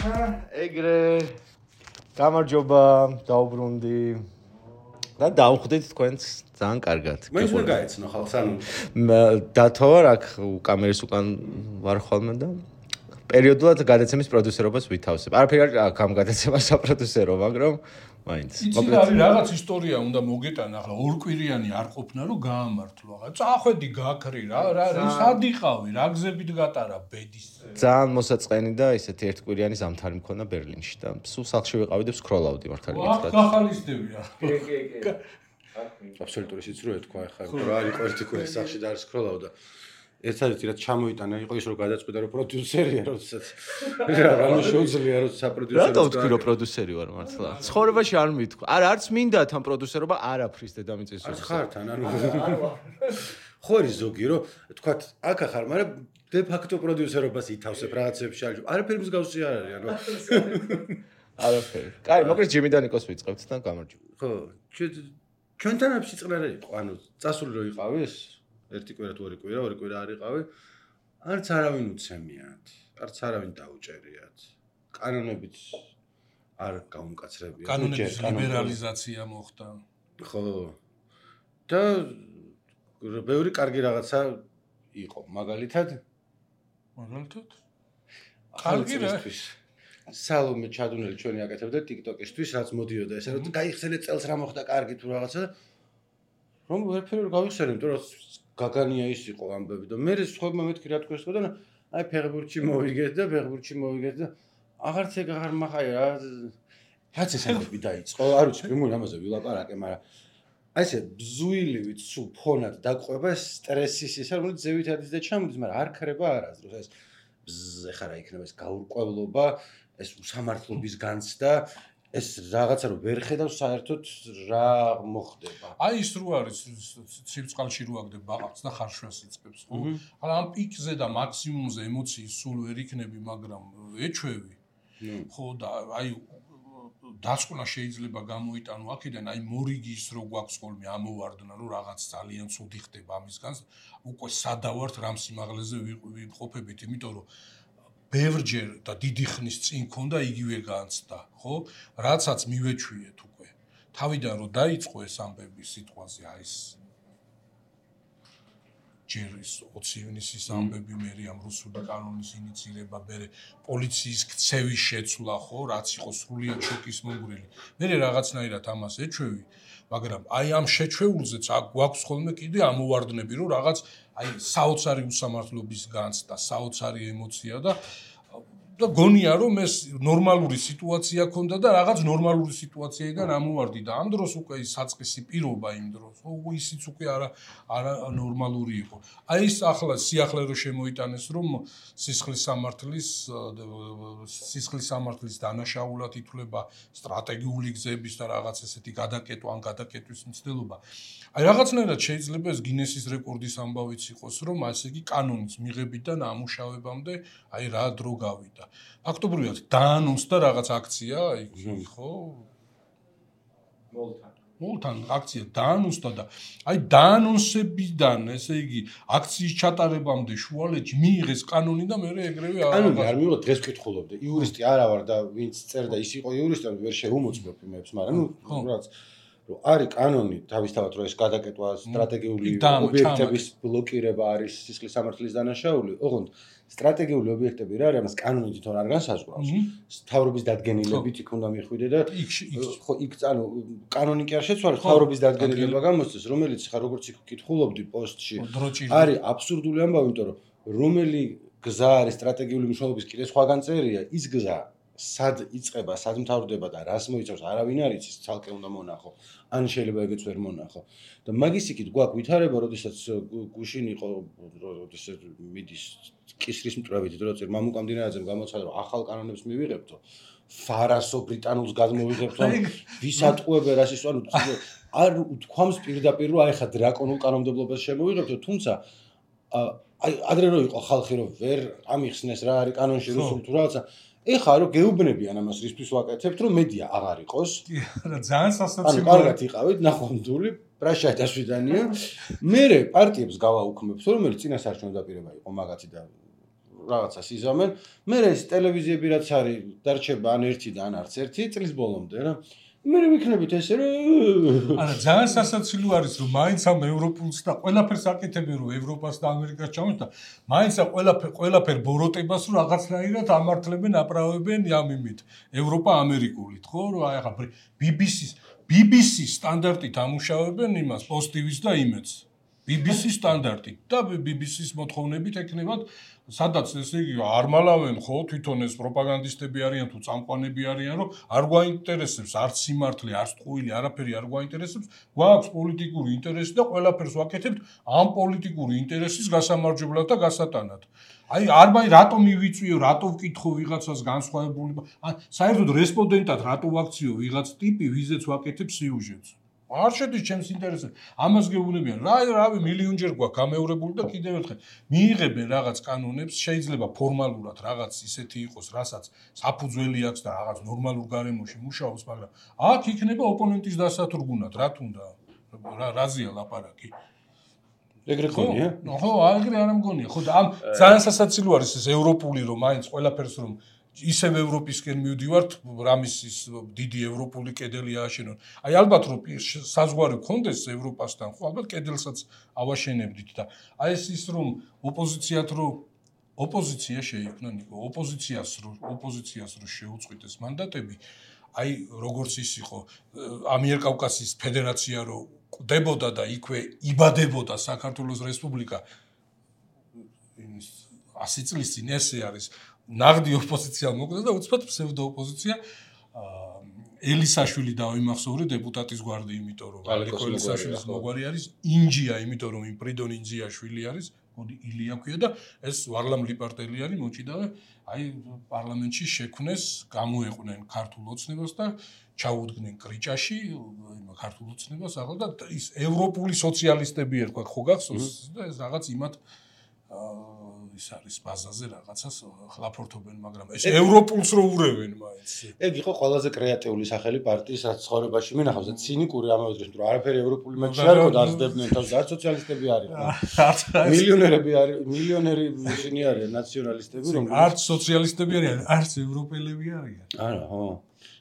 ეგრე გამარჯობა, დაუბრუნდი და დავხვდით თქვენს ძალიან კარგად. მე უნდა გაეცნო ხალხს, ანუ დათო ვარ აქ კამერის უკან ვარ ხოლმე და პერიოდულად გადაცემის პროდიუსერობას ვითავსებ. არაფერი არ აქვს ამ გადაცემას საპროდიუსერო, მაგრამ მაინც. იცი რა არის რაღაც ისტორია უნდა მოგეტანა, ახლა ორკვირიანი არ ყოფნა რომ გაამართლო. ახლა წახვედი გაქრი რა სად იყავი, რა გზებით გატარა ბედის. ძალიან მოსაწყენი და ისეთი ერთკვირიანი ზამთარი მქონდა ბერლინში და სულ სახლში ვიყავი და ვსკროლავდი მართალი გითხრათ. გახალისდები რა. კი. აბსოლუტური სიცრუე თქვა ახლა, რა არის ერთი კვირის სახლში და არ სკროლავდა. ერთადერთი რაც ჩამოიტანა იყო ის რომ გადაწყვიტა რომ პროდიუსერია, როდესაც რა შეუძლია რომ საპროდიუსერო. რატო ვთქვი რომ პროდიუსერი ვარ მართლა? ცხოვრებაში არ მithქვა. არა, არც მინდა თან პროდიუსერობა არაფრის დედამიწის არც ხარ თან, ანუ ხო არის ზოგი რომ თქვათ აქ ახარ, მაგრამ დე ფაქტო პროდიუსერობას ითავსებ რაღაცებში არ. არაფერი მსგავსი არ არის, ანუ არაფერი. კაი, მოკლედ ჯიმიდანიკოს ვიწყებთ და გამარჯობა. ხო, ჩვენთან აფსი წყნარი იყო, ანუ წასული რო იყავი ეს ერთი კვირა თუ ორი კვირა არ იყავი, არც არავინ უცემიათ, არც არავინ დაუჭერიათ. კანონებით არ გაუმკაცრებიათ. კანონების ლიბერალიზაცია მოხდა. ხო. და ბევრი კარგი რაღაცა იყო, მაგალითად კარგი რა. სალომე ჩადუნელი ჩვენი აკეთებდა TikTok-ისთვის, რაც მოდიოდა ესე რომ გაიხსენეთ წელს რა მოხდა კარგი თუ რაღაცა რომ ვერაფერი არ გავიხსენე, იმიტომ რომ გაგანია ის იყო ამბები და მე სხვებმა მეთქი რა თქვენ და აი ფეხბურთში მოვიგეთ და აღარც ეგ აღარ მახაი რა რაც ესები დაიწყო არ ვიცი მე ამაზე ვილაპარაკე მაგრამ აი ესე ბზუილივით სულ ფონად დაყვება სტრესის ისა რომელიც ზევით ადის და ჩამოდის მაგრამ არ ქრება არასდროს ეს ეხლა რა იქნება ეს გაურკვევლობა ეს უსამართლობის განცდა ეს რაღაცა რომ ვერ ხედავ საერთოდ რა მოხდება. აი ის რო არის ცივწყალში რო აგდებ ბაყაყს და ხარშვას იწყებს, ხო? ახლა ამ პიკზე და მაქსიმუმზე ემოციის სულ ვერ იქნები, მაგრამ ეჩვევი. ხო და აი დასკვნა შეიძლება გამოიტანო აქედან, აი მორიგის რო გვაქვს ხოლმე ამოვარდნა, რომ რაღაც ძალიან ცუდი ხდება ამისგან, უკვე სადავართ რამ სიმაღლეზე ვიმყოფებით, იმიტომ რომ ბევრჯერ და დიდი ხნის წინ ქონდა იგივე განცდა, ხო? რაცაც მივეჩვიეთ უკვე. თავიდან რომ დაიწყო ეს ამბები სიტყვაზე, აი ეს ჯერ ის 20 ივნისის ამბები, მე ამ რუსული კანონის ინიციირება, მე პოლიციის ქცევის შეცვლა, ხო, რაც იყო სრულიად შოკის მომგვრელი. მე რაღაცნაირად ამას ეჩვევი, მაგრამ აი ამ შეჩვეულზეც გვაქვს ხოლმე კიდე ამოვარდნები, რომ რაღაც აი საოცარი უსამართლობის განცდა, საოცარი ემოცია და გონია რომ ეს ნორმალური სიტუაცია ქონდა და რაღაც ნორმალური სიტუაციიდან ამოვარდი და ამ დროს უკვე ის საწყისი პირობა იმ დროს ისიც უკვე არა ნორმალური იყო. აი ეს ახლა სიახლე რო შემოიტანეს რომ სისხლის სამართლის დანაშაულად ითვლება სტრატეგიული გზების და რაღაც ესეთი გადაკეტვა ან გადაკეტვის მცდელობა. აი რაღაცნაირად შეიძლება ეს გინესის რეკორდის ამბავიც იყოს რომ ასე იგი კანონის მიღებიდან ამუშავებამდე აი რა დრო გავიდა. ფაქტობრივად დაანონსდა რაღაც აქცია, ხო? მოლთან აქცია დაანონსდა და აი დაანონსებიდან, ესე იგი, აქციის ჩატარებამდე შუალედში მიიღეს კანონი და მე ეგრევე კანონი არ მიიღო დღეს ვკითხულობდი. იურისტი არა ვარ და ვინც წერდა ის იყო იურისტი, ვერ შეუმოწმებ იმებს, მაგრამ ნუ რაც რომ არის კანონი თავისთავად რომ ეს გადაკეტვა სტრატეგიული ობიექტების ბლოკირება არის სისხლის სამართლის დანაშაული, ოღონდ სტრატეგიული ობიექტები რა არის, ამას კანონი თვითონ არ განსაზღვრავს. თავრობის დადგენილებით იქ უნდა მიხვიდე და ხო იქ ანუ კანონი კი არ შეცვალეს, თავრობის დადგენილება გამოსცეს, რომელიც ხა როგორც იქ ვკითხულობდი პოსტში, არის აბსურდული ამბავი, იმიტომ რომ რომელი გზა არის სტრატეგიული მნიშვნელობის კიდე სხვაგან წერია, ის გზა სად იწყება, სად მთავრდება და რას მოიცავს, არავინ არ იცის, ცალკე უნდა მონახო. ან შეიძლება ეგეც ვერ მონახო. და მაგის იქით გვაქვს ვითარება, როდესაც გუშინ იყო, როდესაც მიდის კისრის მტრებით, როცა მამუკა მდინარაძემ გამოცხადა, რომ ახალ კანონებს მივიღებთო, ფარასო ბრიტანულს გადმოვიღებთო, ვისატყუებე რას ის, ანუ არ უთქვამს პირდაპირ, რომ აი ხა დრაკონულ კანონმდებლობას შემოვიღებთო, თუმცა აი ადრე რო იყო ხალხი, რომ ვერ ამიხსნეს რა არის კანონში რუსულ თუ რაღაცა ეხლა რომ გეუბნებიან ამას რისთვის ვაკეთებთ რომ მედია აღარ იყოს რა ძალიან სასაცილოა ანუ კარგად იყავით ნახვამდული პრაშა დასვიდანია მე პარტიებს გავაუქმებთ რომელიც წინასაარჩევნო დაპირება იყო მაგათი და რაღაცას იზამენ. მე ეს ტელევიზიები რაც არის, დარჩება ან ერთი და ან არც ერთი წლის ბოლომდე რა. მე ვიქნებით ესე რომ არა ძალიან სასაცილო არის რომ მაინც ამ ევროპულს და ყველაფერს აკეთებენ რომ ევროპას და ამერიკას ჩამოს და მაინც ყველაფერ ბოროტებას რომ რაღაცნაირად ამართლებენ აправებენ ამ იმით ევროპა ამერიკულით ხო რომ აი ახლა BBC სტანდარტით ამუშავებენ იმას პოსტივის და იმედს BBC სტანდარტით და BBC-ს მოთხოვნებით ექნებათ სადაც ესე იგი არ მალავენ ხო თვითონ ეს პროპაგანდისტები არიან თუ წამყვანები არიან რომ არ გვაინტერესებს არც სიმართლე არც ტყუილი არაფერი არ გვაინტერესებს გვაქვს პოლიტიკური ინტერესი და ყველაფერს ვაკეთებთ ამ პოლიტიკური ინტერესის გასამარჯვებლად და გასატანად აი არ მაინც რატომ მივიწვიო რატო ვკითხო ვიღაცას განსხვავებული საერთოდ რესპონდენტად რატო ვაქციო ვიღაც ტიპი ვიზეც ვაკეთებს სიუჟეტს არ შედის ჩემს ინტერესებში. ამას გეუბნებიან. რავი, მილიონჯერ გვაქვს გამეორებული და კიდევ ერთხელ მიიღებენ რაღაც კანონებს, შეიძლება ფორმალურად რაღაც ისეთი იყოს, რასაც საფუძველი აქვს და რაღაც ნორმალურ გარემოში მუშაობს, მაგრამ აქ იქნება ოპონენტის დასათრგუნად, რა თუნდა. რაზეა ლაპარაკი? ეგრე გონია? ხო, ეგრე არ მგონია. ხო, და ამ ძალიან სასაცილო არის ეს ევროპული რომ მაინც ყველაფერს რომ ისევ ევროპისკენ მივდივართ, რამისის დიდი ევროპული კედელი ააშენონ. აი ალბათ რომ საზღვარი გქონდეს ევროპასთან, ხო ალბათ კედელსაც ავაშენებდით და აი ის რომ ოპოზიციათ რომ ოპოზიცია შეიქმნა ნიკო, ოპოზიციას რო შეუწყვიტეს მანდატები, აი როგორც ის იყო ამიერკავკასიის ფედერაცია რო კვდებოდა და იქვე იბადებოდა საქართველოს რესპუბლიკა 100 წლის წინ ესე არის ნაღდი ოპოზიცია მოკვდა და უცბად ფსევდო ოპოზიცია ელისაშვილი დავიმახსოვრე დეპუტატის გვარდი, იმიტომ რომ ალეკო ელისაშვილის მოგვარი არის ინჯია, იმიტომ რომ იმ პრიდონ ინჯიაშვილი არის, მოდი ილია ქვია და ეს ვარლამ ლიპარტელი არის მოჭიდა და აი პარლამენტში შექმნეს, გამოეყვნენ ქართულ ოცნებას და ჩაუდგნენ კრიჭაში ქართულ ოცნებას ახლა და ის ევროპული სოციალისტები ერქვა ხო გახსოვს და ეს რაღაც იმათ ის არის ბაზაზე რაღაცას ხლაფორთობენ, მაგრამ ეს ევროპულს რო ურევენ მაინც. ეგ იყო ყველაზე კრეატიული სახელი პარტიის რაც ცხოვრებაში მინახავს და ცინიკური ამავე დროს, რომ არაფერი ევროპული მეტი არ იყო დაძდებდნენ თავს, არც სოციალისტები არიან. მილიონერები არის, მილიონერი ისინი არიან ნაციონალისტები, რომლებიც არც სოციალისტები არიან, არც ევროპელები არიან. არა, ხო.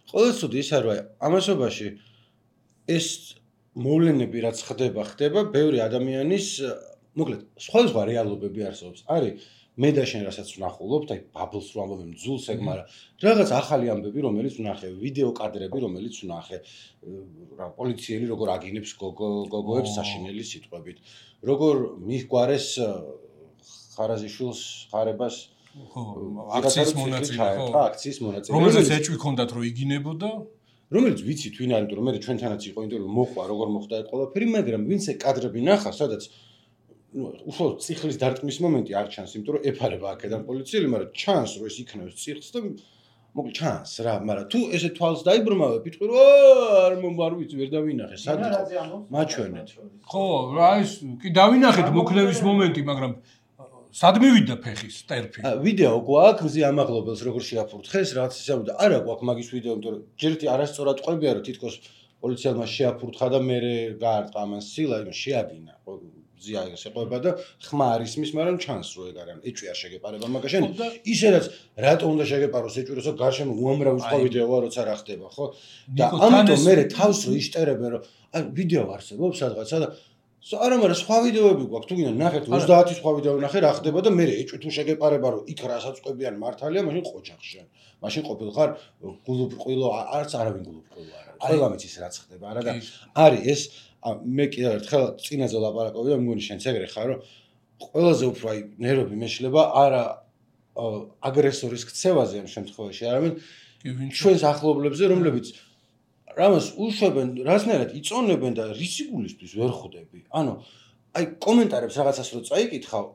ყოველთვის თუდი ის არის, ამასობაში ეს მოვლენები რაც ხდება, ბევრი ადამიანის მოკლედ, სხვა რეალობები არსებობს. არის მე და შენ რასაც ვნახულობთ, აი ბაბლს რო ამბობენ ძულს ეგ, მაგრამ რაღაც ახალი ამბები, რომელიც ვნახე, ვიდეო კადრები, რომელიც ვნახე, რა პოლიციელი როგორ აგინებს გოგოებს საშინელი სიტყვებით, როგორ მიჰგვარეს ხარაზიშვილს ხარებას აქციის მონაწილე, ხო, აქციის მონაწილე. რომელსაც ეჭვი ჰქონდათ რომ იგინებოდა, რომელიც ვიცით ვინ არის, იმიტომ რომ მე ჩვენთანაც იყო ინტერვიუ მოხვა, როგორ მოხდა ეს ყველაფერი, მაგრამ ვინც ეს კადრები ნახა, სადაც უშუალოდ ციხლის დარტყმის მომენტი არ ჩანს, იმიტომ რომ ეფარება აქედან პოლიციელი, მაგრამ ჩანს რომ ეს იქნევს ციხლს და მოკლედ ჩანს რა, მაგრამ თუ ესე თვალს დაიბრმავებ, იტყვი რომ არ ვიცი, ვერ დავინახე, სად იყო მაჩვენეთ. ხო, რა ის კი დავინახეთ მოქნევის მომენტი, მაგრამ სად მივიდა ფეხის ტერფი? ვიდეო გვაქვს მზე ამაღლობელს როგორ შეაფურთხეს, რაც ისე და არა გვაქვს მაგის ვიდეო, იმიტომ რომ ჯერეთი არასწორად ყვებია რომ თითქოს პოლიციელმა შეაფურთხა და მე გაარტყა ამას სილა, იმას შეადგინა. ზია შეყვება და ხმა არ ისმის, მაგრამ ჩანს რომ ეგ არიან. ეჭვი არ შეგეპარება მაგაშენ. ისედაც რატო უნდა შეგეპაროს ეჭვი, როცა გარშემო უამრავი სხვა ვიდეოა, როცა რა ხდება, ხო? და ამიტომ მე თავს რო იშტერებენ, რომ აი ვიდეო არსებობს სადღაცა და არა, მაგრამ სხვა ვიდეოები გვაქვს, თუ გინდა ნახეთ 30 სხვა ვიდეო ნახე რა ხდება და მე ეჭვი თუ შეგეპარება, რომ იქ რასაც ყვებიან მართალია, მაშინ ყოჩახშენ. მაშინ ყოფილხარ გულუბრყვილო, არც არავინ გულუბრყვილო არ არის. ყველა მიცის რაც ხდება, არა და არის ეს მე კიდევ ერთხელ წინაზე ლაპარაკობდი და მგონი შენც ეგრე ხარ, რომ ყველაზე უფრო აი ნერვები მეშლება არა აგრესორის ქცევაზე ამ შემთხვევაში, არამედ ჩვენს ახლობლებზე, რომლებიც რამას უშვებენ, რასნაირად იწონებენ და რისიგულისთვის ვერ ხვდები. ანუ აი კომენტარებს რაღაცას რო წაიკითხავ,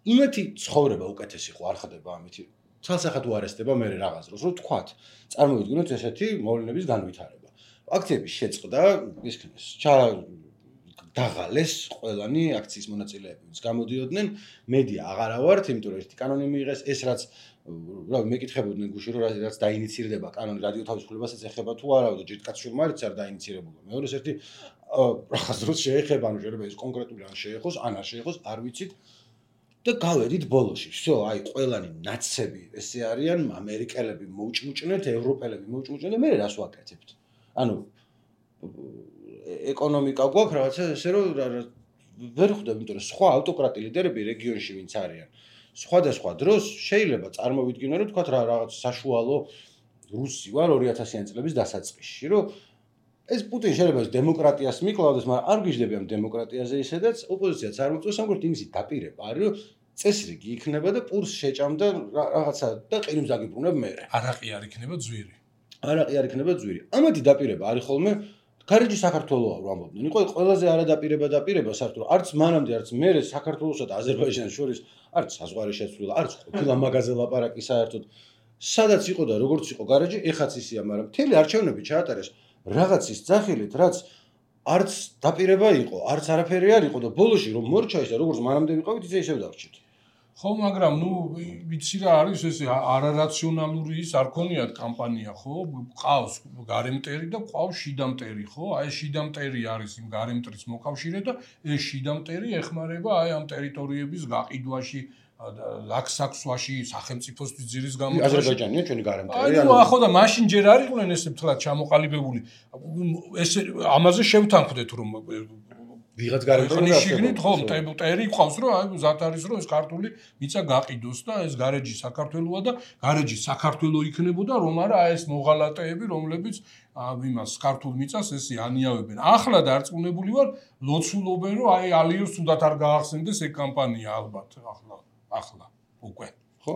იმეთი ცხოვრება უკეთესი ხო არ ხდება ამითი. ცალსახად უარესდება მე რაღაც დროს, რომ თქვათ, წარმოვიდგინოთ ესეთი მოვლენების განვითარება. აქციების შეწყდა, ისქნეს, დაღალეს ყველანი აქციის მონაწილეები, ვინც გამოდიოდნენ, მედია აღარა ვართ, იმიტომ რომ ერთი კანონი მიიღეს, ეს რაც რა მეკითხებოდნენ გუში რომ რაც დაინიცირდება კანონი რადიო თავისუფლებასაც ეხება თუ არა და ჯიტკაცშვილმა არც არ დაინიცირებულა. მეორეს ერთი რაღაც დროს შეეხება, ანუ შეიძლება ეს კონკრეტული ან შეეხოს, ან არ შეეხოს, არ ვიცით. და გავედით ბოლოში. всё, აი ყველანი ნაცები ესე არიან, ამერიკელები მოუჭმუჭნეთ, ევროპელები მოუჭმუჭნეთ და მე რას ვაკეთებთ? ანუ ეკონომიკა გვაქვს რაღაცა ესე რომ ვერ ხვდები, იმიტომ რომ სხვა ავტოკრატი ლიდერები რეგიონში ვინც არიან. სხვადასხვა დროს შეიძლება წარმოვიდგინო რომ თქვა რაღაც საშუალო რუსი ვარ 2000-იანი წლების დასაწყისში, რომ ეს პუტინი შეიძლება დემოკრატიას მიკლავდეს, მაგრამ არ გიждები ამ დემოკრატიაზე ისედაც ოპოზიციაც არ მოწევს, ამგვარად იმისი დაპირება არის, რომ წესრიგი იქნება და პურს შეჭამდა რაღაცა და ყირიმს აგიბრუნებ მე. არაყი არ იქნება ძვირი. არაყი არ იქნება ძვირი. ამათი დაპირება არის ხოლმე გარეჯი საქართველოა რომ ამბობდნენ. იყო ყველაზე არადაპირება საერთოდ არც მანამდე არც მერე საქართველოსა და აზერბაიჯანს შორის არც საზღვარი შეცვლილა, არც ყოფილა მაგაზე ლაპარაკი საერთოდ. სადაც იყო და როგორც იყო გარეჯი, ეხაც ისია, მაგრამ მთელი არჩევნები ჩაატარეს რაღაცის ძახილით, რაც არც დაპირება იყო, არც არაფერი არ იყო და ბოლოში რომ მორჩა ის და როგორც მანამდე ვიყავით, ისე დავრჩით. ხო, მაგრამ ვიცი რა არის ეს არარაციონალური ის არ ქონიათ კამპანია, ხო? ყავს გარემტერი და ყავს შიდამტერი, ხო? აი ეს შიდამტერი არის იმ გარემტრის მოკავშირე და ეს შიდამტერი ეხმარება აი ამ ტერიტორიების გაყიდვაში ლაქსაქსვაში სახელმწიფოსთვის ძირის გამოწვევაში. აზერბაიჯანია ჩვენი გარემტერი. ანუ ახო და მაშინ ჯერ არ იყვნენ ესე მთლად ჩამოყალიბებული. ესე ამაზე შევთანხმდეთ რომ ვიღაც გარემტერი შიგნით ხო მტერი ყავს რომ აი ზათ არის რომ ეს ქართული მიწა გაყიდოს და ეს გარეჯი საქართველოა და გარეჯი საქართველო იქნებოდა რომ არა აი ეს მოღალატეები რომლებიც იმას ქართულ მიწას ესე ანიავებენ. ახლა დარწმუნებული ვარ ლოცულობენ რომ აი ალიოს თუდად არ გაახსენდეს ეს კამპანია ალბათ ახლა უკვე ხო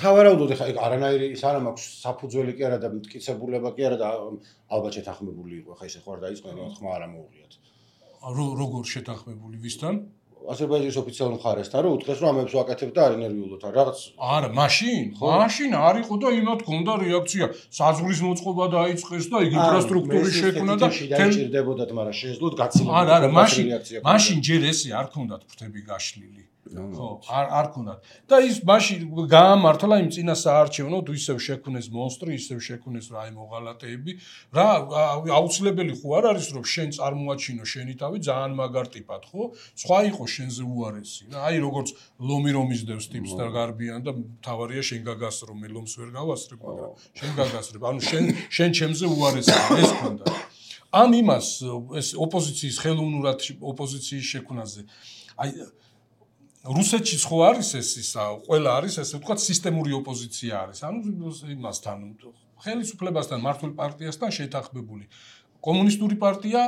სავარაუდოდ ხა არანაირი ის არ მაქვს საფუძველი კი არა და მტკიცებულება კი არა და ალბათ შეთანხმებული იყო ხა ისე ხوار დაიწყნენ რომ ხმა არ ამოუღიათ როგორ შეთანხმებული ვისთან? აზერბაიჯანის ოფიციალურ მხარესთან რომ უთხრეს რომ ამებს ვაკეთებ და არ ინერვიულოთ რაღაც არა მაშინ არ იყო და იმათ გონდა რეაქცია საზღვრის მოწყობა დაიწყეს და იქ ინფრასტრუქტურის შექმნა და შეჭირდებოდათ მაგრამ შეეძლოთ გაცილებით არა მაშინ ჯერ ესე არ ქონდათ ფრთები გაშლილი ხო არ ქონდათ და ის მაშინ გაამართლა იმ წინა საარჩევნო თუ ისევ შექმნეს მონსტრი ისევ შექმნეს რა აი მოღალატეები რა აუცილებელი ხო არ არის რომ შენ წარმოაჩინო შენი თავი ძალიან მაგარ ტიპად ხო სხვა იყო შენზე უარესი რა აი როგორც ლომი რომ ისდევს ტიპს და გარბიან და თავარია შენ გაგასრო მე ლომს ვერ გავასრებ მაგრამ შენ გაგასრებ ანუ შენ ჩემზე უარესი ეს ქონდა ამ იმას ეს ოპოზიციის ხელოვნურად ოპოზიციის შექმნაზე აი რუსეთში ხო არის ეს ისა ყველა არის ესე ვთქვათ სისტემური ოპოზიცია არის ანუ იმასთან ხელისუფლებასთან მართლ პარტიასთან შეთანხმებული კომუნისტური პარტია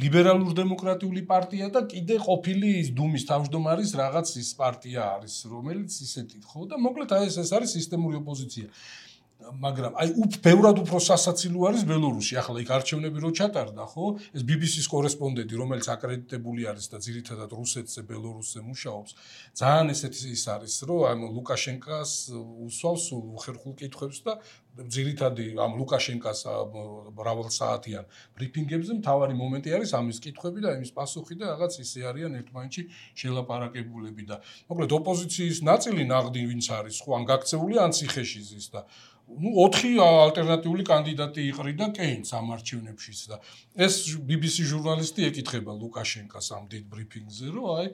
ლიბერალურ დემოკრატიული პარტია და კიდე ყოფილი ის დუმის თავმჯდომარის რაღაც ის პარტია არის რომელიც ისეთი ხო და მოკლედ აი ეს არის სისტემური ოპოზიცია მაგრამ აი ბევრად უფრო სასაცილო არის ბელორუსი ახლა იქ არჩევნები რო ჩატარდა ხო ეს BBC-ს კორესპონდენტი რომელიც აკრედიტებული არის და ძირითადად რუსეთზე ბელორუსზე მუშაობს ძალიან ესეთი ის არის რომ აი ლუკაშენკას უსვავს უხერხულ კითხვებს და ძირითადი ამ ლუკაშენკას მრავალსაათიან ბრიფინგებზე მთავარი მომენტი არის ამის კითხვები და იმის პასუხი და რაღაც ისე არიან ერთმანეთში შელაპარაკებულები და მოკლედ ოპოზიციის ნაწილი ნაღდი ვინც არის ხო ან გაქცეული ან ციხეში ზის და 4 ალტერნატიული კანდიდატი იყრიდა კეინს ამ არჩევნებშიც და ეს BBC ჟურნალისტი ეკითხება ლუკაშენკას ამ დიდ ბრიფინგზე რომ აი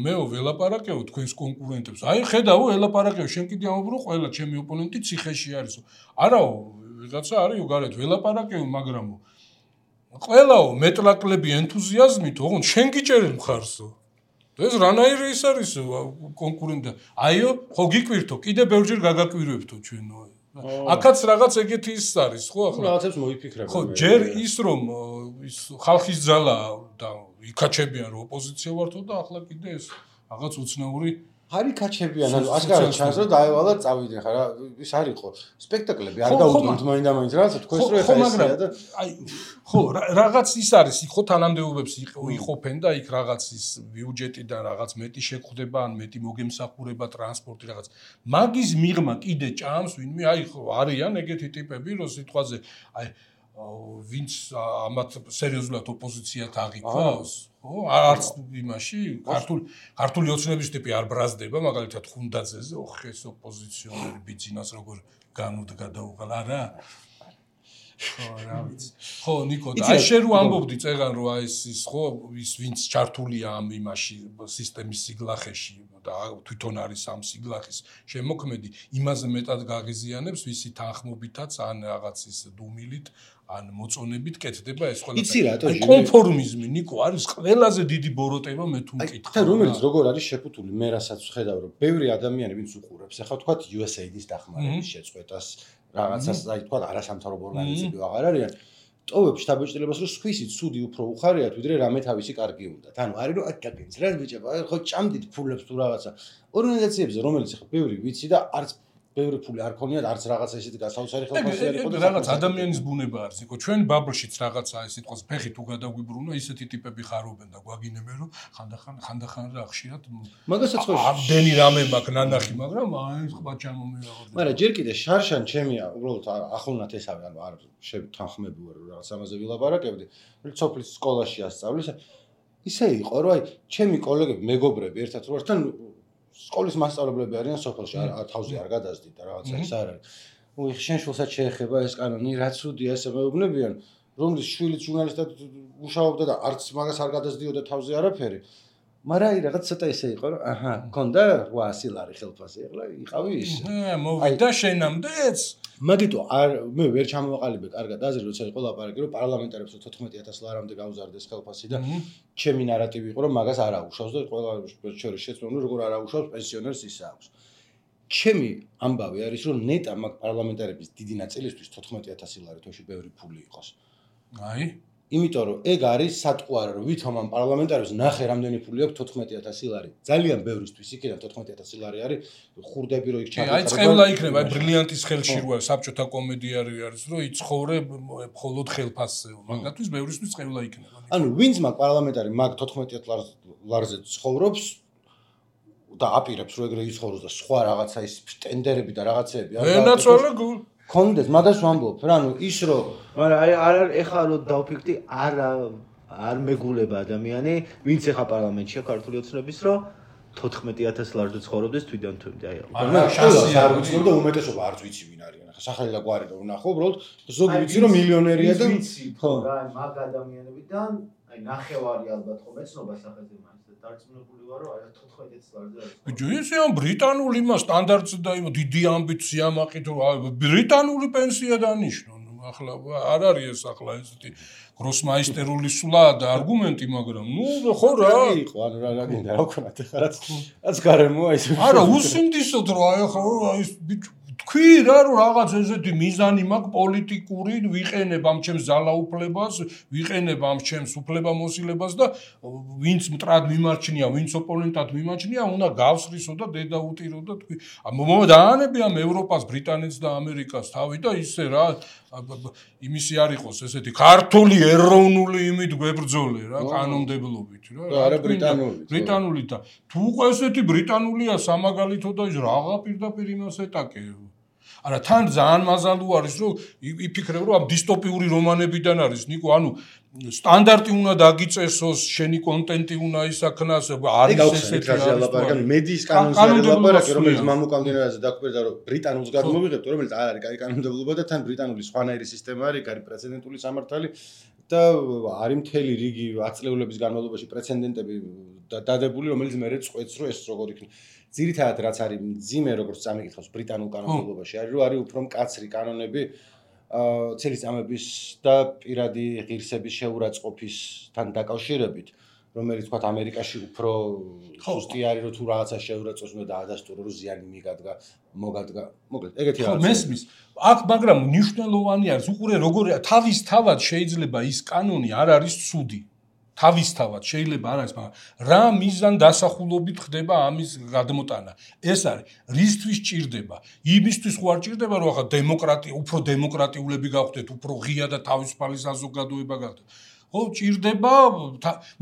მეო ველაპარაკეო თქვენს კონკურენტებს აი ხედავო ველაპარაკეო შენ კიდე ამობრო ყველა ჩემი ოპონენტი ციხეში არისო არაო ვიღაცა არისო გარეთ ველაპარაკეო მაგრამო ყველაო მეტლაკლები ენთუზიაზმით ოღონდ შენ გიჭერენ მხარსო ეს რანაირი ის არის კონკურენტი აიო ხო გიკვირთო კიდე ბევრჯერ გაგაკვირვებთო ჩვენო აქაც რაღაც ეგეთი ის არის ხო ახლა რაღაცებს მოიფიქრებ ხო ჯერ ის რომ ის ხალხის ძალა და იქაჩებიან რომ ოპოზიცია ვართო და ახლა კიდე ეს რაღაც უცნაური არი კაჩებიან ანუ ასკარად ჩანს რომ დაევალა წავიდნენ ხა რა ის არ იყო სპექტაკლები არ დაუდგათ მაინდა-მაინც რაღაცა თქვენს რო ეხა ესია და აი ხო რაღაც ის არის ხო თანამდებობებს იყოფენ და იქ რაღაც ის ბიუჯეტიდან რაღაც მეტი შეხვდება ან მეტი მოგემსახურება ტრანსპორტი რაღაც მაგის მიღმა კიდე ჭამს ვინმე აი ხო არიან ეგეთი ტიპები რომ სიტყვაზე აი ვინც ამათ სერიოზულად ოპოზიციად აღიქვას ხო არც იმაში ქართული ოცნების ტიპი არ ბრაზდება მაგალითად ხუნდაძეზე ოხ ეს ოპოზიციონერი ბიძინას როგორ განუდგა და უღალა რა ხო, რა ვიცი. ხო, ნიკო, და აი შენ რო ამბობდი წეგან რომ აი ის ხო ის ვინც ჩართულია ამ იმაში სისტემის სიგლახეში და თვითონ არის ამ სიგლახის შემოქმედი, იმაზე მეტად გაღიზიანებს ვისი თანხმობითაც ან რაღაც ის დუმილით ან მოწონებით კეთდება ეს ყველა. იცი რატო კონფორმიზმი ნიკო არის ყველაზე დიდი ბოროტება მე თუ მკითხავ. და რომელიც როგორ არის შეფუთული მე რასაც ვხედავ რომ ბევრი ადამიანი ვინც უყურებს ახლა თქვა USAID-ის დახმარების შეწყვეტას რაღაცას აი თქვა არასამთავრობო ორგანიზაციები აღარ არიან ტოვებს შთაბეჭდილებას რომ სხვისი ცუდი უფრო უხარიათ ვიდრე რამე თავისი კარგი უნდათ. ანუ არის რომ აკაკენს რა ბიჭებო ხო ჭამდით ფულებს თუ რაღაცა ორგანიზაციებზე რომელიც ახლა ბევრი ვიცი და არც ბევრი ფული არ ქონიათ არც რაღაცა ისეთი გასაოცარი ხელფასი არ იყო და რაღაც ადამიანის ბუნება არის იყო ჩვენ ბაბლშიც რაღაცა ეს სიტყვის ფეხი თუ გადაგვიბრუნო ისეთი ტიპები ხარობენ და გვაგინებენ რომ ხანდახან რა ხშირად მაგასაც ხო ამდენი რამე მაქვს ნანახი მაგრამ აი სხვა ჩამომიღო მაგრამ ჯერ კიდე შარშან ჩემია უბრალოდ ახლონათ ესავე ანუ არ შეთანხმები ვარ რაღაც ამაზე ვილაპარაკებდი სოფლის სკოლაში ასწავლის ისე იყო რომ აი ჩემი კოლეგები მეგობრები ერთად რო ერთთან სკოლის მასწავლებლები არიან სოფელში თავზე არ გადასდით და რაღაცა ის არ არის. უი შენ შულსაც შეეხება ეს კანონი, რა ცუდია ესე მეუბნებიან, რომლის შვილიც ჟურნალისტად მუშაობდა და არც მაგას არ გადასდიოდა თავზე არაფერი. მაგრამ აი რაღაც ცოტა ისე იყო, რომ აჰა, მქონდა 800 ლარი ხელფასი, ახლა იყავი ის. მოვიდა შენამდეც. მაგიტო არ მე ვერ ჩამოვაყალიბე კარგად აზრი, როცა იყო ლაპარაკი, რომ პარლამენტარებს 14000 ლარამდე გაუზარდეს ხელფასი და ჩემი ნარატივი იყო, რომ მაგას არ აუშავს და ყველა შორის შეცდომა რომ როგორ არ აუშავს პენსიონერს ის აქვს. ჩემი ამბავი არის, რომ ნეტა მაგ პარლამენტარების დიდი ნაწილისთვის 14000 ლარი თოში ბევრი ფული იყოს. აი იმიტომ რომ ეგ არის სატყუარი რომ ვითომ ამ პარლამენტარებს ნახე რამდენი ფული აქვს 14000 ლარი. ძალიან ბევრისთვის იქიდან 14000 ლარი არის ხურდები რო იქ ჩაკეთება. აი წევლა იქნება, აი ბრილიანტის ხელში როა საბჭოთა კომედიარი არის, რომ იცხოვრე მხოლოდ ხელფასზე. მაგათთვის ბევრისთვის წევლა იქნება. ანუ ვინც მაგ პარლამენტარი მაგ 14000 ლარზე ცხოვრობს და აპირებს რომ ეგრე იცხოვროს და სხვა რაღაცა ის ტენდერები და რაღაცეები ენაცვალე გულ კონდეს მაგას ვამბობ რა ანუ ის რომ მაგრამ აი არ ეხლა რომ დავფიქრდი არ მეგულება ადამიანი ვინც ეხა პარლამენტშია ქართული ოცნების რომ 14000 ლარზე ცხოვრობდეს თვითონ თვით აი არ ვიცი და უმეტესობა არც ვიცი ვინ არიან ახლა სახელი და გვარი რომ ვნახო უბრალოდ ზოგი ვიცი რომ მილიონერია და ხო რა მაგ ადამიანებიდან აი ნახევარი ალბათ ხო მეცნობა სახეზე მაინც დარწმუნებული ვარო აი 14000 ლარზე არის. ბიჭო ისე ამ ბრიტანული მა სტანდარტზე და იმ დიდი ამბიცია მაყით რომ ბრიტანული პენსია დანიშნო. ახლა არ არის ეს ახლა ესეთი გროსმაისტერული სულა და არგუმენტი მაგრამ ნუ ხო რა იყო ანუ რა გინდა რა ვქონათ ახლა რაც გარემოა ის არა უსინდისოდ რა ახლა ის ბიჭო თქვი რა რომ რაღაც ესეთი მიზანი მაქვს პოლიტიკური ვიყენებ ამ ჩემს ძალაუფლებას ვიყენებ ამ ჩემს უფლებამოსილებას და ვინც მტრად მიმარჩნია ვინც ოპონენტად მიმარჩნია უნდა გავსრისო და დედა უტირო და თქვი დაანები ამ ევროპას ბრიტანეთს და ამერიკას თავი და ისე რა იმისი არ იყოს ესეთი ქართული ეროვნული იმით გვებრძოლე რა კანონმდებლობით რა არა ბრიტანული და თუ უკვე ესეთი ბრიტანულია სამაგალითო და რაღა პირდაპირ იმას ეტაკე არა თან ძალიან მაზალუ არის რომ იფიქრებ რომ ამ დისტოპიური რომანებიდან არის ნიკო ანუ სტანდარტი უნდა დაგიწესოს შენი კონტენტი უნდა ისაქნას არის ესეთი ლაპარაკი მედიის კანონზე ლაპარაკი რომელიც მამუკამდენაზე დაგვერდა რომ ბრიტანულს გადმოვიღებთ რომელიც არ არის კაი კანონმდებლობა და თან ბრიტანული სხვანაირი სისტემა არის კაი პრეცედენტული სამართალი და არის მთელი რიგი აწლეულების განმავლობაში პრეცედენტები დადებული რომელიც მე წყვეტს რომ ეს როგორ იქნება ძირითადად რაც არის მძიმე როგორც წამიკითხავს ბრიტანულ კანონმდებლობაში არის რომ არის უფრო მკაცრი კანონები ცელისწამების და პირადი ღირსების შეურაცხყოფისთან დაკავშირებით რომელიც თქვა ამერიკაში უფრო სუსტი არის რომ თუ რაღაცა შეურაცხყოფს უნდა დაადასტურო რომ ზიანი მოგადგა მოკლედ ეგეთი რაღაცა მესმის აქ მაგრამ მნიშვნელოვანი არის უყურე როგორია თავისთავად შეიძლება ის კანონი არ არის ცუდი თავისთავად შეიძლება არ არის მაგრამ რა მიზან დასახულობით ხდება ამის გადმოტანა ეს არის რისთვის ჭირდება იმისთვის ხო არ ჭირდება რომ ახლა დემოკრატია უფრო დემოკრატიულები გავხდეთ უფრო ღია და თავისუფალი საზოგადოება გავხდეთ ხო ჭირდება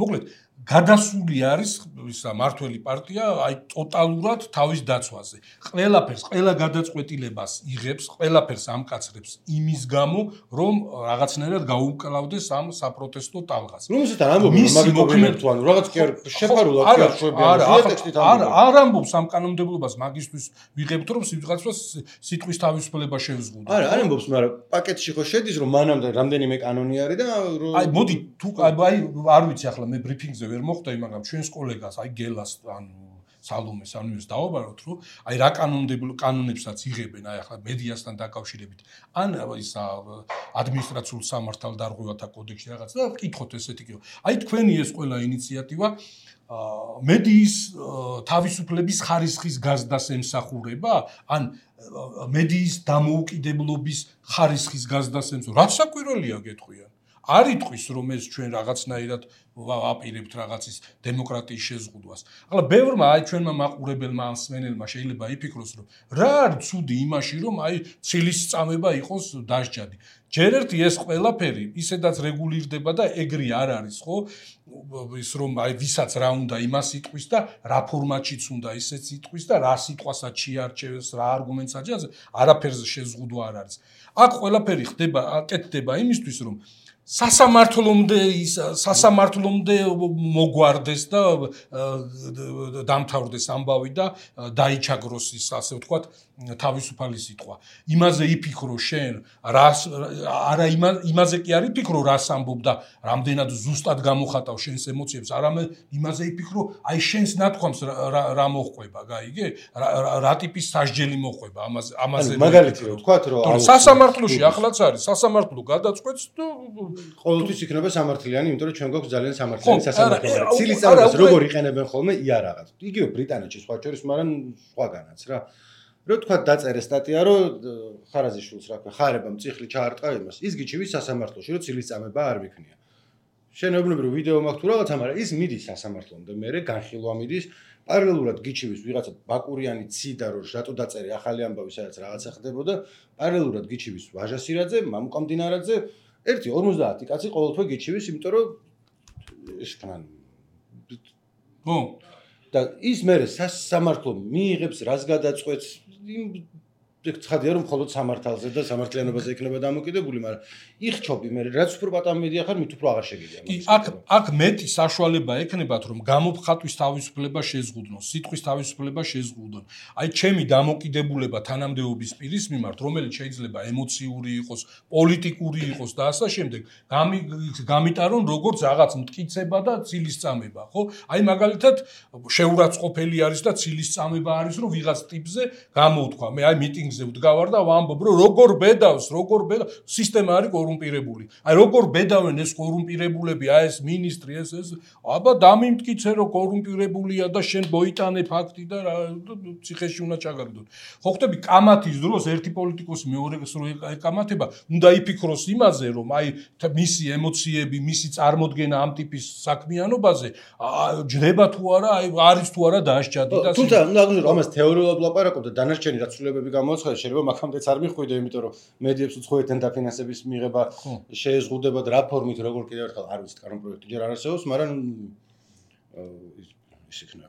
მოკლედ გადასული არის ისა მართველი პარტია აი ტოტალურად თავის დაცვაზე. ყველა გადაწყვეტილებას იღებს, ყველაფერს ამკაცრებს იმის გამო, რომ რაღაცნაირად გაუმკლავდეს ამ საპროტესტო ტალღას. რომელსაც ამბობენ, მაგით მოგმენთ თუ ანუ რაღაც კი არ შეფარულად კი არ შვებიან. არ ამბობს ამ კანონმდებლობას მაგისთვის ვიღებთ, რომ ვიღაცას სიტყვის თავისუფლება შევზღუდოთ. არ ამბობს, მაგრამ პაკეტში ხო შედის, რომ მანამდე რამდენიმე კანონი არის და აი მოდი თუ აი არ ვიცი ახლა მე ბრიფინგზე ვერ მოხდა მაგრამ ჩვენს კოლეგას აი გელას ანუ სალომეს ანუეს დავაბაროთ რომ აი რა კანონებსაც იღებენ აი ახლა მედიასთან დაკავშირებით ან ის ადმინისტრაციულ სამართალდარღვევათა კოდექსში რაღაც და ვკითხოთ ესეთი კი აი თქვენი ეს ყველა ინიციატივა მედიის თავისუფლების ხარისხის გაზდას ემსახურება ან მედიის დამოუკიდებლობის ხარისხის გაზდას ემსახურება რაც საკვირველია გეტყვიან არ იტყვის რომ ეს ჩვენ რაღაცნაირად ვაპირებთ რაღაცის დემოკრატიის შეზღუდვას. ახლა ბევრმა აი ჩვენმა მაყურებელმა ან მსმენელმა შეიძლება იფიქროს რომ რა არის ცუდი იმაში რომ აი ცილის წამება იყოს დასჯადი. ჯერ ერთი ეს ყველაფერი ისედაც რეგულირდება და ეგრე არ არის ხო ის რომ აი ვისაც რა უნდა იმას იტყვის და რა ფორმატშიც უნდა ისეც იტყვის და რა სიტყვასაც შეარჩევს რა არგუმენტს აჭერს არაფერზე შეზღუდვა არ არის. აქ ყველაფერი ხდება აკეთდება იმისთვის რომ სასამართლომდე მოგვარდეს და დამთავრდეს ამბავი და დაიჩაგროს ის ასე ვთქვათ თავისუფალი სიტყვა. იმაზე იფიქრო შენ, არა იმაზე კი არ იფიქრო, რას ამბობ და რამდენად ზუსტად გამოხატავ შენს ემოციებს, არამედ იმაზე იფიქრო, აი შენს ნათქვამს რა მოხვება, გაიგე? რა ტიპის სასჯელი მოხვება ამაზე. მაგალითი რო ვთქვათ, რომ სასამართლოში ახლაც არის, სასამართლო გადაწყვეტს და ყოველთვის იქნება სამართლიანი, იმიტომ რომ ჩვენ გვაქვს ძალიან სამართლიანი სასამართლო. ცილის წამებას როგორ იყენებენ ხოლმე იარაღად. იგივე ბრიტანეთში სხვა შორის, მაგრამ სხვაგანაც რა. რო თქვა დაწერე სტატია, რომ ხარაზიშვილს რა ქვია, ხარებამ წიხლი ჩაარტყა იმას. ის გიჩივის სასამართლოში, რომ ცილის წამება არ მიქნია. შენობრივი ვიდეო მაქვს თუ რაღაცა, მაგრამ ის მიდის სასამართლომდე, მერე განხილვა მიდის, პარალელურად გიჩივის ვიღაცა ბაკურიანი ციდა, რომ რატო დაწერე ახალი ამბავი, სადაც რაღაცა ხდებოდა, პარალელურად გიჩივის ვაჟა სირაძე, მამუკა მდინარაძე, 1-50 კაცი ყოველთვე გიჩივის, იმიტომ რომ ეს ხან და ის მერე სასამართლო მიიღებს რას გადაწყვეტს ცხადია რომ მხოლოდ სამართალზე და სამართლიანობაზე იქნება დამოკიდებული, მაგრამ იხჩობი მე რაც უფრო პატამედია ხარ, მით უფრო აღარ შეგიძლია. აქ მეტი საშუალება ექნებათ რომ გამოფხატვის თავისუფლება შეზღუდნოს, სიტყვის თავისუფლება შეზღუდონ. აი ჩემი დამოკიდებულება თანამდებობის პირის მიმართ, რომელიც შეიძლება ემოციური იყოს, პოლიტიკური იყოს და ასე შემდეგ, გამიტარონ როგორც რაღაც მტკიცება და ცილის წამება, ხო? აი მაგალითად შეურაცხყოფელი არის და ცილის წამება არის რომ ვიღაც ტიპზე გამოვთქვა. მე აი მიტინგზე ვდგავარ და ვამბობ რომ როგორ ბედავს სისტემა არის კორუმპირებული. აი როგორ ბედავენ ეს კორუმპირებულები, აი ეს მინისტრი ეს აბა დამიმტკიცე რომ კორუმპირებულია და შენ მოიტანე ფაქტი და ციხეში უნდა ჩაგაგდონ. ხო ხტები კამათის დროს ერთი პოლიტიკოსი მეორეს რო ეკამათება, უნდა იფიქროს იმაზე რომ აი მისი ემოციები, მისი წარმოდგენა ამ ტიპის საქმიანობაზე ჯდება თუ არა, აი არის თუ არა დასჯადი და თუმცა უნდა აღნიშნო რომ ამას თეორიულად ვლაპარაკობ და დანარჩენი რაც ცვლილებები გამოაცხადა შეიძლება მაგამდეც არ მიხვიდე, იმიტომ რომ მედიებს უცხოეთთან დაფინანსების მიღება შეეზღუდება და რა ფორმით როგორ კიდევ ერთხელ არ ვიცი, კანონპროექტი ჯერ არ არსებობს, მაგრამ ის იქნება.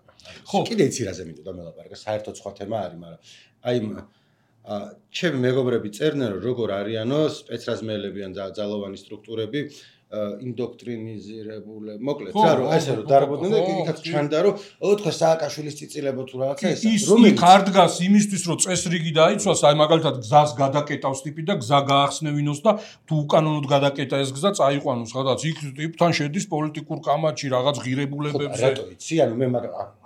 ხო, კიდე იცი რაზე მინდოდა მელაპარაკა, საერთოდ სხვა თემა არის, მაგრამ აი ჩემი მეგობრები წერდნენ რომ როგორ არიანო სპეცრაზმელები ან ძალოვანი სტრუქტურები ინდოქტრინიზირებული, მოკლედ, რა რომ ესე რომ დარბოდნენ და იქაც ჩანდა რომ ოთხე სააკაშვილის წიწილებო თუ რაღაცა ეს რომელიც იქ დგას იმისთვის რომ წესრიგი დაიცვას, აი მაგალითად გზას გადაკეტავს ტიპი და გზა გაახსნევინოს და თუ უკანონოდ გადაკეტა ეს გზა წაიყვანოს, სადაც იქ ტიპთან შედის პოლიტიკურ კამათში რაღაც ღირებულებებზე. რატო იცი, ანუ მე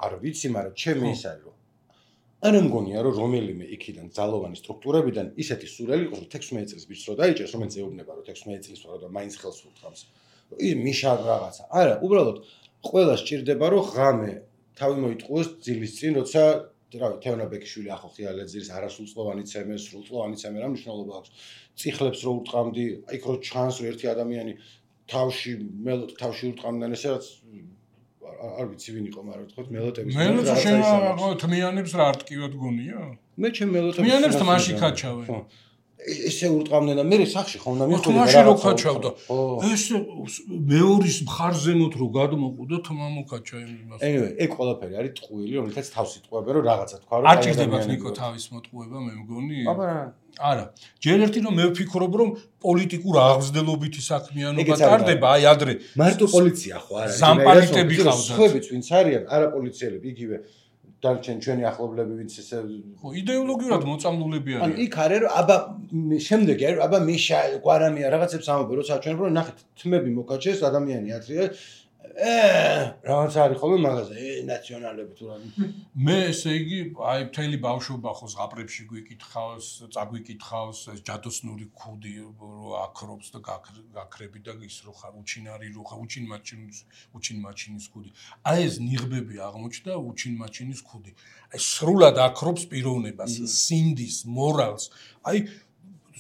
არ ვიცი, მაგრამ ჩემი ის არის რომ არ მგონია რომ რომელიმე იქიდან ძალოვანი სტრუქტურებიდან ისეთი სურველი იყოს რომ 16 წელს ბიჭს რო დაიჭერს, რომელიც ეუბნება რომ 16 წელს ვარ და მაინც ხელს უთხრავს. ის მიშა რაღაცა. არა, უბრალოდ ყველა სჭირდება რომ ღამე თავი მოიტყუოს ძილის წინ, როცა რავი, თეონა ბეკიშვილი ახო ხიალეძის არასრულწლოვანი ცემე, სრულწლოვანი ცემე რა მნიშვნელობა აქვს. წიხლებს რო ურტყამდი, იქ რო ჩანს რომ ერთი ადამიანი თავში ურტყამდნენ ესე რაც არ ვიცი ვინ იყო, მაგრამ თქვათ მელოტების მელოტა შენ თმიანებს რა არტკივად გონია? მე ჩემ მელოტებს თმიანებს თმაში ქაჩავენ. ესე ურტყამდნენ და მე სახში ხომ და მიხდი თამაში რო ქაჩავდა ეს მეორის მხარზემოთ რო გადმოყუდა თმა მოკაჩა იმას anyway ეგ ყველაფერი არის ტყუილი რომელთაც თავს იტყუებენ რომ რაღაცა თქვა რომ არ ჭირდებათ ნიკო თავის მოტყუება მე მგონი არა ჯერ ერთი რომ მე ვფიქრობ რომ პოლიტიკურ აღზრდელობითი საქმიანობა ტარდება აი ადრე მარტო პოლიცია ხო არა ზამპარიტები ხავდათ სხვებიც ვინც არიან არა პოლიციელები იგივე დარჩენ ჩვენი ახლობლები ვინც ესე ხო იდეოლოგიურად მოწამლულები არიან ან იქ არის რომ აბა შემდეგი არის აბა მიშა გვარამია რაღაცებს ამბობენ რომ საჩვენ რომ ნახეთ თმები მოკაჩეს ადამიანი ათრია რაღაც არის ხოლმე მაღაზია ნაციონალები თუ რა მე ესე იგი აი მთელი ბავშვობა ხო ზღაპრებში გვიკითხავს წაგვიკითხავს ეს ჯადოსნური ქუდი რო აკრობს და გაქრები და ის რო ხარ უჩინარი რო ხარ უჩინ მაჩინის ქუდი აი ეს ნიღბები აღმოჩნდა უჩინ მაჩინის ქუდი აი სრულად აკრობს პიროვნებას სინდის მორალს აი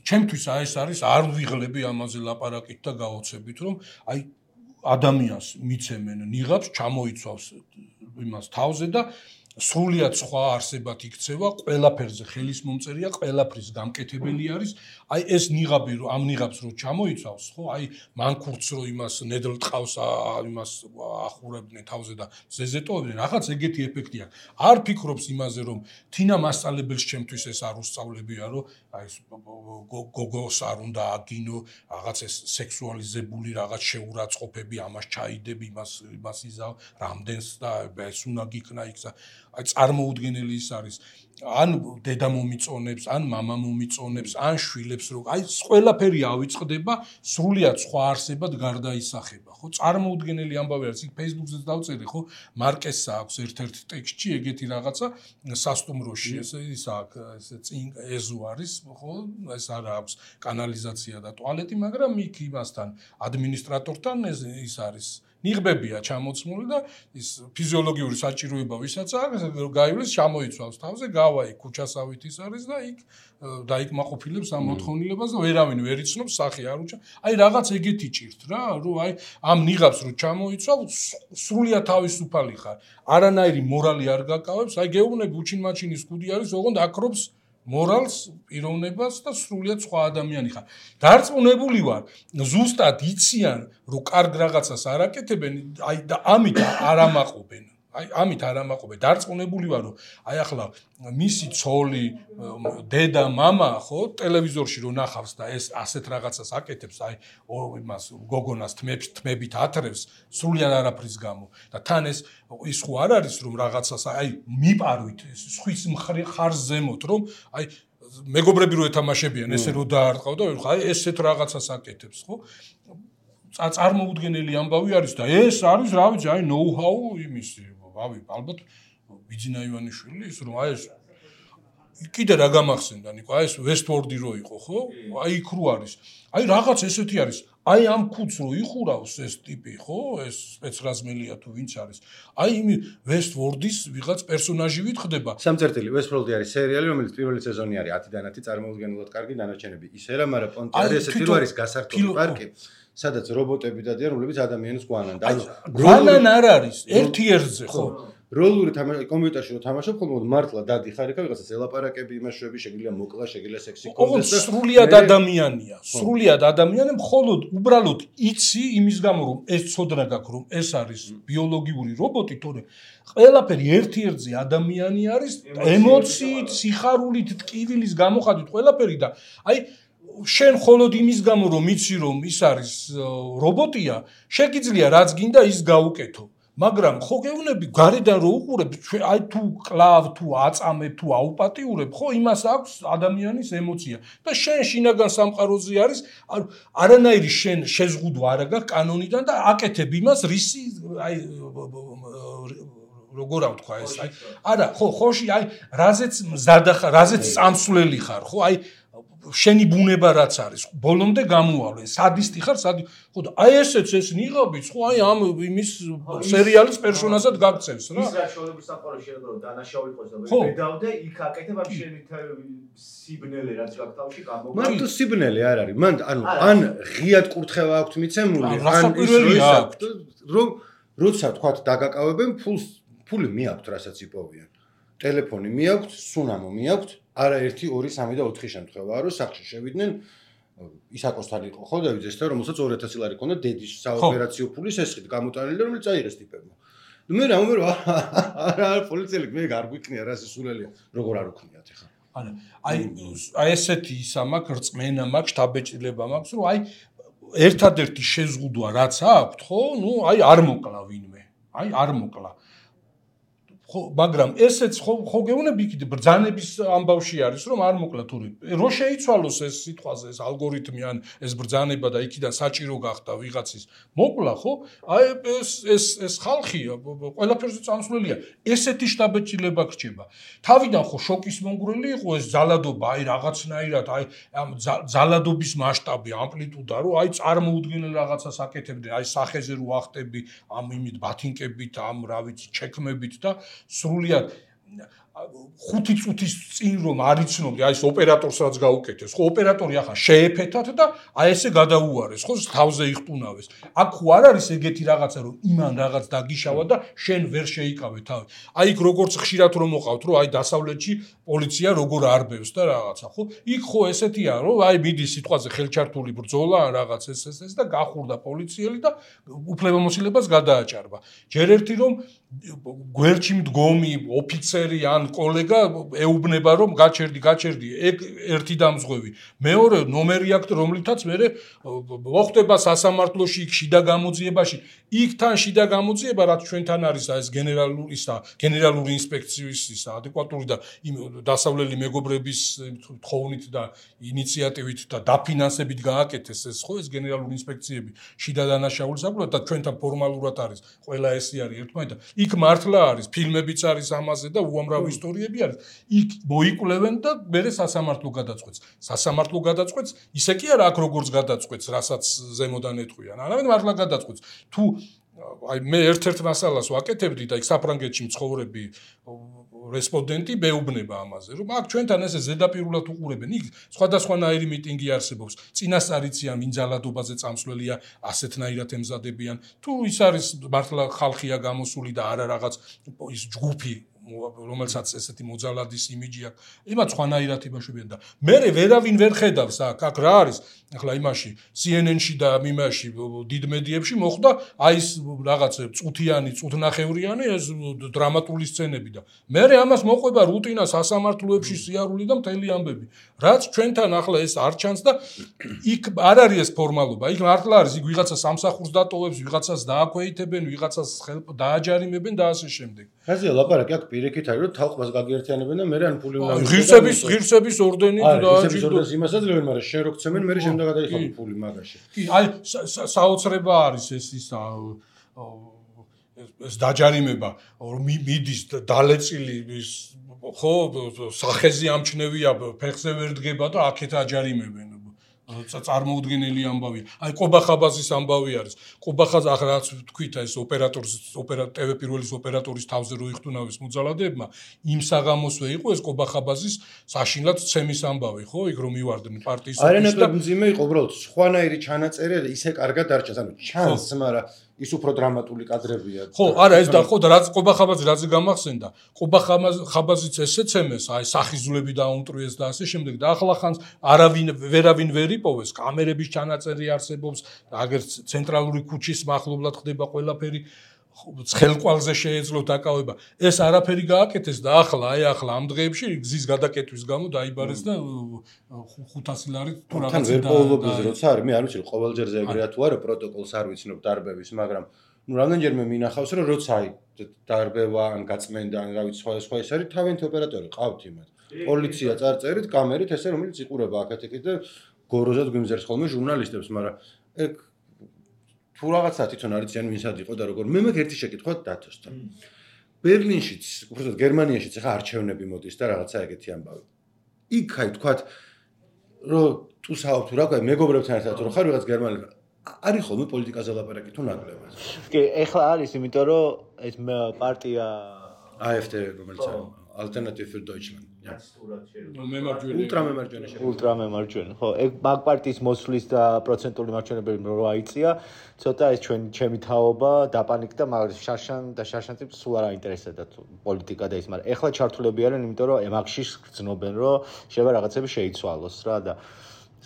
ჩემთვის აი ეს არის არ ვიღლები ამაზე ლაპარაკით და გაოცებით რომ აი ადამიანს მიცემენ ნიღაბს ჩამოიცავს იმას თავზე და სრულიად სხვა არსებად იქცევა ყველაფერზე ხელის მომწერია ყველაფრის გამკეთებელი არის აი ეს ნიღაბი რომ ამ ნიღაბს რო ჩამოიცავს ხო აი მანქურts რო იმას ნედლ ტყავს იმას ახურებდნენ თავზე და ზეზეტოვებდნენ რაღაც ეგეთი ეფექტი აქვს არ ფიქრობს იმაზე რომ თინა მასწავლებელს ჩემთვის ეს არ უსწავლებია რომ აი ეს გოგოს არ უნდა აგინო რაღაც ეს სექსუალიზებული რაღაც შეურაცხყოფები ამას ჩაიდები იმას იზავ რამდენს და ეს უნდა გიქნა იქ აი წარმოუდგენელი ის არის ან დედა მომიწონებს ან მამა მომიწონებს ან შვილებს რო აი ყველაფერი ავიწყდება სრულიად სხვა არსებად გარდაისახება ხო წარმოუდგენელი ამბავი არის იქ Facebook-ზეც დავწერე ხო მარკესა აქვს ერთ-ერთ ტექსტში ეგეთი რაღაცა სასტუმროში ეს აქვს ეს წინ ეზო არის ხო ეს არა აქვს კანალიზაცია და ტუალეტი მაგრამ იქ იმასთან ადმინისტრატორთან ის არის ნიღბებია ჩამოცმული და ის ფიზიოლოგიური საჭიროება ვისაც აქვს გაივლის ჩამოიცავს თავზე გავა იქ ქუჩასავით ის არის და იქ დაიკმაყოფილებს ამ მოთხოვნილებას და ვერავინ ვერ იცნობს სახე არ უჩა აი რაღაც ეგეთი ჭირთ რა რომ აი ამ ნიღაბს რო ჩამოიცვალ სრულიად თავისუფალი ხარ არანაირი მორალი არ გაკავებს აი გეუბნები უჩინმაჩინის ქუდი არის ოღონდ აკრობს მორალს პიროვნებას და სრულიად სხვა ადამიანი ხარ. დარწმუნებული ვარ, ზუსტად იციან, რომ კარგ რაღაცას არ აკეთებენ, აი და ამით არ ამაყობენ. აი ამით არ ამაყობენ. დარწმუნებული ვარ, რომ აი ახლა მისი ცოლი, დედა, მამა, ხო, ტელევიზორში რო ნახავს და ეს ასეთ რაღაცას აკეთებს, აი იმას გოგონას თმებით ათრევს, სრულიად არაფრის გამო. და თან ეს ხო არ არის რომ რაღაცას აი მიპარვით სხვის მხარს ზემოთ რომ აი მეგობრები რო ეთამაშებიან ესე რო დაარტყავ და აი ესეთ რაღაცას აკეთებს ხო წარმოუდგენელი ამბავი არის და ეს არის რა ვიცი აი ნოუ-ჰაუ იმისი ვავი ალბათ ბიძინა ივანიშვილი ის რომ აი ეს კიდე რა გამახსენდა ნიკო აი ეს ვესტვორდი რო იყო ხო აი იქ რო არის აი რაღაც ესეთი არის აი ამ ქუდს რო იხურავს ეს ტიპი ხო ეს სპეცრაზმელია თუ ვინც არის აი იმ ვესტვორდის ვიღაც პერსონაჟი ვითხდება სამწერტილი ვესტვორდი არის სერიალი რომელიც პირველი სეზონი არის 10-დან 10 წარმოუდგენლად კარგი დანარჩენები ისერა მაგრამ პონტი არის ესეთი რო არის გასართული პარკი სადაც რობოტები დადიან რომლებიც ადამიანს გვანან და გვანან არ არის ერთი ერთზე ხო როლური კომპიუტერში რო თამაშობ ხოლმე მართლა დადიხარ იქ რაღაცას ელაპარაკები იმაშვები შეგიძლია მოკლა შეგიძლია სექსი კონდეს და სრულიად ადამიანია სრულიად ადამიანია მხოლოდ უბრალოდ იცი იმის გამო რომ ეს ცოდნა გაქვს რომ ეს არის ბიოლოგიური რობოტი თორე ყველაფერი ერთი ერთზე ადამიანი არის ემოციით სიხარულით ტკივილის გამოხატვით ყველაფერი და აი შენ მხოლოდ იმის გამო რომ იცი რომ ის არის რობოტია შეგიძლია რაც გინდა ის გაუკეთო მაგრამ ხო გეუბნები გარედან რო უყურებ აი თუ კლავ თუ აწამებ თუ აუპატიურებ ხო იმას აქვს ადამიანის ემოცია და შენ შინაგან სამყაროზე არის არანაირი შენ შეზღუდვა არ აქვს კანონიდან და აკეთებ იმას რისი აი როგორ ავთქვა ეს აი არა ხო ხოში აი რაზეც მზადა ხარ რაზეც წამსვლელი ხარ ხო აი შენი ბუნება რაც არის ბოლომდე გამოავლე სადისტი ხარ ხო და აი ესეც ეს ნიღაბიც ხო აი ამ იმის სერიალის პერსონაჟად გაგწევს რა ის რა შოუების სამყაროში რომ დანაშაული იყოს და ვედავდე იქ აკეთებ ამ შენი სიბნელე რაც გაქვს თავში გამოგა მარტო სიბნელე არ არის მან ანუ ან ღიად კურთხევა აქვთ მიცემული ან ის რომ როცა თქვათ დაგაკავებენ ფული მიაქვთ რასაც იპოვიან ტელეფონი მიაქვთ სუნამო მიაქვთ არა 1, 2, 3 და 4 შემთხვევაა, რომ სახში შევიდნენ ისაკოსთან იყო ხო დავით ეს და რომელსაც 2000 ლარი ჰქონდა დედის საოპერაციო ფულის ესხით გამოტანილი და რომელიც აიღეს ტიპებმა. მე არა პოლიციელი მე არ გვიქნია რა სულელია როგორ არ უქნიათ ეხლა. აი ესეთი ისა მაქვს რწმენა მაქვს შტაბეჭდილება მაქვს რომ აი ერთადერთი შეზღუდვა რაც აქვთ ხო ნუ აი არ მოკლა ვინმე აი არ მოკლა ხო მაგრამ ესეც ხო გეუბნები იქით ბრძანების ამბავში არის რომ არ მოკლა თური რო შეიცვალოს ეს სიტყვაზე ეს ალგორითმი ან ეს ბრძანება და იქიდან საჭირო გახდა ვიღაცის მოკლა ხო აი ეს ხალხი ყველაფერზე წამსვლელია ესეთი შტაბეჭდილება გრჩება თავიდან ხო შოკის მონგრელი იყო ეს ზალადობა აი რაღაცნაირად აი ამ ზალადობის მასშტაბი ამპლიტუდა რომ აი წარმოუდგენელ რაღაცას აკეთებდნენ აი სახეზე რო ახტები ამ იმით ბათინკებით ამ რა ვიცი ჩექმებით და სრულიად 5 წუთის წინ რომ არიცნობდი აი ეს ოპერატორს რაც გაუკეთეს ხო ოპერატორი ახლა შეეფეთათ და აი ესე გადაუარეს ხო თავზე იხტუნავეს აქ ხო არ არის ეგეთი რაღაცა რომ იმან რაღაც დაგიშავა და შენ ვერ შეიკავე თავი აი იქ როგორც ხშირად რომ მოყავთ რომ აი დასავლეთში პოლიცია როგორ არბევს და რაღაცა ხო იქ ხო ესეთია რომ აი მიდის სიტყვაზე ხელჩართული ბრძოლა ან რაღაც ეს და გახურდა პოლიციელი და უფლებამოსილებას გადააჭარბა ჯერ ერთი რომ გვერდში მდგომი ოფიცერი ან კოლეგა ეუბნება რომ გაჩერდი ეგ ერთი დამზღვევი მეორე ნომერი აქვს რომლითაც მე მოხდება სასამართლოში იქ შიდა გამოძიებაში იქთან შიდა გამოძიება რაც ჩვენთან არის ეს გენერალური ინსპექციის ადეკვატური და დასავლელი მეგობრების თხოვნით და ინიციატივით და დაფინანსებით გააკეთეს ეს ხო ეს გენერალური ინსპექციები შიდა დანაშაულის საკუთრად და ჩვენთან ფორმალურად არის ყველა ესე არის ერთმანეთთან იქ მართლა არის ფილმებიც არის ამაზე და უამრავი ისტორიები არის იქ მოიკვლევენ და მერე სასამართლო გადაწყვეტს ისე კი არა აქ როგორც გადაწყვეტს რასაც ზემოდან ეტყვიან არავინ მართლა გადაწყვეტს თუ აი მე ერთ-ერთ მასალას ვაკეთებდი და იქ საფრანგეთში მცხოვრები რესპონდენტი მეუბნება ამაზე რომ აქ ჩვენთან ესე ზედაპირულად უყურებენ იქ სხვადასხვანაირი მიტინგი არსებობს წინასწარიციან ინძალადობაზე წამსვლელია ასეთნაირად ემზადებიან თუ ის არის მართლა ხალხია გამოსული და არა რაღაც ის ჯგუფი რომელსაც ესეთი მოძალადის იმიჯი აქვს იმათ სხვანაირად იმაშობიან და მე ვერავინ ვერ ხედავს აქ რა არის ახლა იმაში CNN-ში და მიმაში დიდ მედიებში მოხდა აი ეს რაღაც წუთნახევრიანი ეს დრამატული სცენები და მე ამას მოყვება რუტინა სასამართლოებში სიარული და მთელი ამბები რაც ჩვენთან ახლა ეს არ ჩანს და იქ არ არის ეს ფორმალობა იქ მართლა არის იქ ვიღაცა სამსახურს დატოვებს ვიღაცას დააქვეითებენ ვიღაცას დააჯარიმებენ და ასე შემდეგ რაზეა ლაპარაკი აქ პირიქით არის რომ თალყმას გაგერთიანებენ და მე ან ფული უნდა ღირსების ორდენი დააჯილდოს იმასაც ლევენ მაგრამ შენ რო გცემენ მე შემდგა გადაიხადო ფული მაგაში კი აი საოცრება არის ეს ეს დაჯარიმება რომ მიდის დალეწილი ხო სახეზე ამჩნევია ფეხზე ვერ დგება და აქეთ აჯარიმებენ წარმოუდგენელი ამბავია. აი ყობახაბაზის ამბავი არის. ყობახაზ ახლა რაც თქვით ეს TV პირველის ოპერატორის თავზე რო იხტუნავეს მოძალადებმა, იმ საღამოსვე იყო ეს ყობახაბაზის საშინლად ცემის ამბავი, ხო? იქ რომ მივარდნენ პარტიის არანაკლებ მძიმე იყო უბრალოდ სხვანაირი ჩანაწერი და ისე კარგად არჩას, ანუ ჩანს, მაგრამ ის უფრო დრამატული კადრებია. ხო, არა ეს და ხო და რაც ყობახაბაზი რაც გამახსენდა, ყობახაბაზიც ესეცემეს, აი სახიზულები დაუნტრიეს და ასე შემდეგ და ახლა ხანს ვერავინ ვერ იპოვეს, კამერების ჩანაწერი არსებობს, აგერ ცენტრალური ქუჩის მახლობლად ხდება ყველაფერი, ცხელყვალზე შეეძლო დაკავება. ეს არაფერი გააკეთეს და ახლა ამ დღეებში გზის გადაკეტვის გამო დაიბარეს და 500 ლარი თუ რაღაც და ვერ პოულობდეს როცა არის, მე არ ვიცი ყოველჯერზე ეგრეა თუ არა პროტოკოლს არ ვიცნობ დარბევის, მაგრამ რამდენჯერმე მინახავს რომ როცა აი დარბევა ან გაწმენდა ან რა ვიცი სხვა ეს არის თავიანთი ოპერატორი ყავთ იმათ. პოლიცია წარწერით, კამერით ესე რომელიც იყურება აქეთ-იქით და გოროზად გვიმზერს ხოლმე ჟურნალისტებს, მაგრამ ეგ თუ რაღაცა თვითონ არიციან ვინსად იყო და როგორ მე მაქვს ერთი შეკითხვა დათოსთან. ბერლინშიც, უბრალოდ გერმანიაშიც ახლა არჩევნები მოდის და რაღაცა ეგეთი ამბავი. იქ აი თქვათ რომ თუ საუბრობთ რა ქვია მეგობრებთან ერთად რომ ხარ ვიღაც გერმანელი არის ხოლმე პოლიტიკაზე ლაპარაკი თუ ნაკლებად. კი, ეხლა არის, იმიტომ რომ ეს პარტია AfD რომელიც არის Alternative für Deutschland. Ultramemარჯვენე. ხო, ეგ მაგ პარტიის მოსვლის და პროცენტული მარჯვენებელი რო აიწია, ცოტა ეს ჩემი თაობა დაპანიკდა, მაგრამ შარშანტი სულ არ აინტერესებდა პოლიტიკა და ის, მაგრამ ეხლა ჩართულები არიან, იმიტომ რომ ემაგში გრძნობენ, რომ შეიძლება რაღაცები შეიცვალოს რა და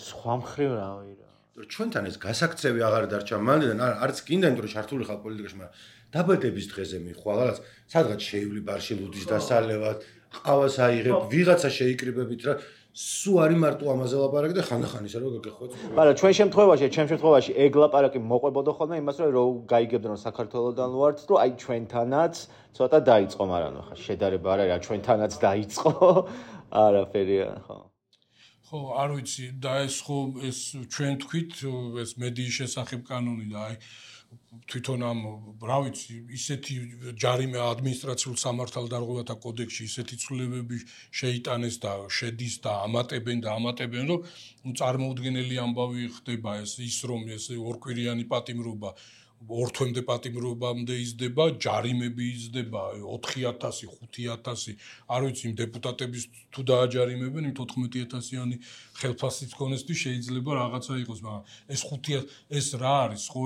სხვა მხრივ რავი რა. ჩვენთან ეს გასაქცევი აღარ დარჩა მანდიდან, არც კიდე იმიტომ რომ ჩართული ხარ პოლიტიკაში, მაგრამ დაბადების დღეზე მიხვალ, რაღაც სადღაც შეივლი ბარში ლუდის დასალევად, ყავას აიღებ, ვიღაცა შეიკრიბებით რა, სულ არის მარტო ამაზე ლაპარაკი და ხანდახან ისე რომ გაგეხვეწ. მაგრამ ჩემ შემთხვევაში ეგ ლაპარაკი მოყვებოდა ხოლმე იმას, რომ გაიგებდნენ რომ საქართველოსდან ვართ, რომ აი ჩვენთანაც ცოტა დაიწყო, მაგრამ ხა შედარება არ არის, რა ჩვენთანაც დაიწყო. არაფერია, ხო. ხო, არ ვიცი, და ეს ხო ეს ჩვენ თქვით ეს მედიის შესახებ კანონი და აი თვითონ ამ რა ვიცი ისეთი ჯარიმე ადმინისტრაციულ სამართალდარღვევათა კოდექსში ისეთი ცვლილებები შეიტანეს და შედის და ამატებენ რომ წარმოუდგენელი ამბავი ხდება ის რომ ეს ორკვირიანი პატიმრობა ორთვემდე პატიმრობამდე იზრდება, ჯარიმები იზრდება 4000, 5000, არ ვიცი იმ დეპუტატების თუ დააჯარიმებენ იმ 14000-იანი ხელფასით ქონესთი შეიძლება რაღაცა იყოს, მაგრამ ეს 5000 ეს რა არის, ხო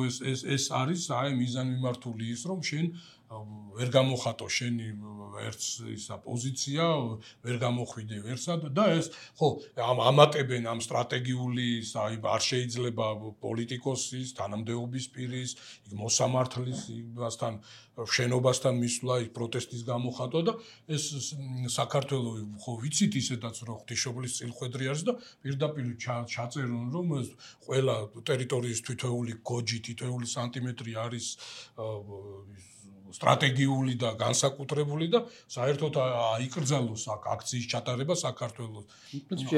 ეს არის აი მიზანმიმართული ის რომ შენ ვერ გამოხატო შენი ერთს ისა პოზიცია, ვერ გამოხვიდე ვერსად და ეს ხო ამატებენ ამ სტრატეგიული აი არ შეიძლება პოლიტიკოსის, თანამდებობის პირის, მოსამართლის იმასთან შენობასთან მისვლა ის პროტესტის გამოხატვა და ეს საქართველოს ხო ვიცით ისედაც რომ ღვთისმშობლის წილხვედრი არის და პირდაპირ ჩაწერონ რომ ყველა ტერიტორიის თითოეული გოჯი, თითოეული სანტიმეტრი არის სტრატეგიული და განსაკუთრებული და საერთოდ აიკრძალოს აქციის ჩატარება საქართველოს.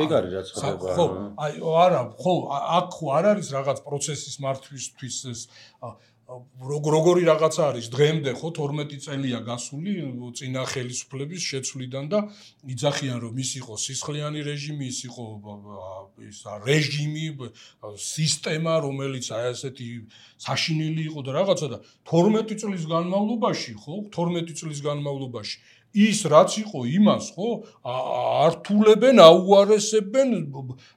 ეგ არის რაც ხდება. ხო, აი არა, ხო, აქ ხო არ არის რაღაც პროცესის მართვისთვის ეს როგორი რაღაცა არის დღემდე ხო 12 წელია გასული წინა ხელისუფლების შეცვლიდან და იძახიან რომ ის იყო სისხლიანი რეჟიმი, ის იყო ის რეჟიმი, სისტემა, რომელიც აი ასეთი საშინელი იყო და რაღაცა და 12 წლის განმავლობაში ხო 12 წლის განმავლობაში ის რაც იყო იმას ხო ართულებენ, აუარესებენ,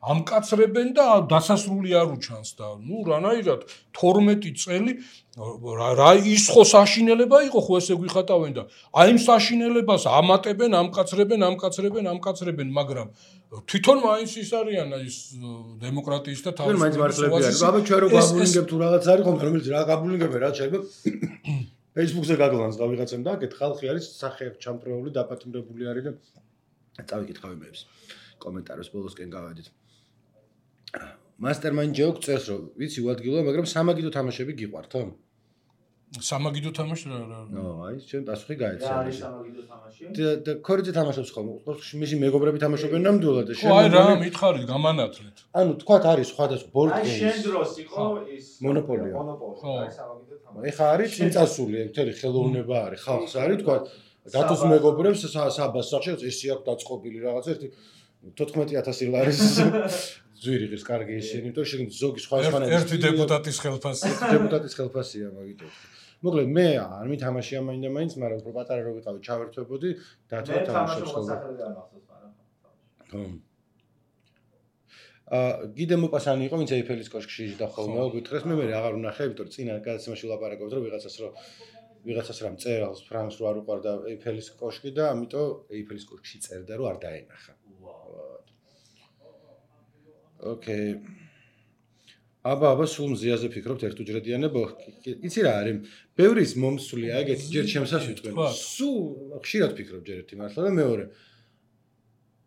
ამკაცრებენ და დასასრული არ უჩანს და ნუ რანაირად 12 წელი რა ის ხო საშინელება იყო ხო ესე გვიხატავენ და აი იმ საშინელებას ამატებენ, ამკაცრებენ, მაგრამ თვითონ მაინც ის არიან ის დემოკრატიის და თავისუფლების აბა ჩვენ რო გაბულინგებ თუ რაღაც არის ხომ რომელიც რა გაბულინგებენ რა შეიძლება Facebook-ზე გაგლანს გავიღაცემ და აქეთ ხალხი არის სახეებ ჩამწრეული, დაპატიმრებული არის და წავიკითხავ იმებს კომენტარებს ბოლოსკენ გავედით. Mastermind joke წერს რომ ვიცი უადგილოა, მაგრამ სამაგიდო თამაშები გიყვართ, ხო? სამაგიდო თამაში რა. ნო, აი, ჩვენ პასუხი გაეცა. რა არის სამაგიდო თამაში? და ქორიძე თამაშობს ხომ? მისი მეგობრები თამაშობენ ნამდვილად და შენ აი რა მითხარით გამანათლეთ. ანუ თქვათ არის სხვადასხვა board games. აი შენ დროს იყო ის მონოპოლია. აი სამაგიდო თამაში. ეხა არის წინწასული, მთელი ხელოვნება არის, ხალხს არის თქვათ დათოს მეგობრებს საბას სახში ესე აქვს დაწყობილი რაღაც ერთი 14000 ლარის ზვირი ღირს კარგი ისინი, იმიტომ შენ ზოგი სხვადასხვანაირი ერთი დეპუტატის ხელფასია მაგითო. მოკლედ მე არ მითამაშია მაინდა-მაინც, მაგრამ უფრო პატარა რო ვიყავი, ჩავერთვებოდი, დათო თამაშობს ხოლმე. ხო. გიდე მოპასანი იყო, ვინც ეიფელის კოშკში იჯდა ხოლმე, გითხრეს მე აღარ ვნახე, იმიტომ რომ წინა გადაცემაში ვლაპარაკობთ, რომ ვიღაცას რამ წერალს ფრანგს რო არ უყარდა ეიფელის კოშკი და ამიტომ ეიფელის კოშკში წერდა, რომ არ დაენახა. ოკეი. აბა სულ მზიაზე ფიქრობთ ერთუჯრედიანებო? იცი რა არის? ბევრის მომსვლია ეგეთი ჯერ ჩემსაც ვიტყვენ. სულ ხშირად ფიქრობ ჯერ ერთი მართლა და მეორე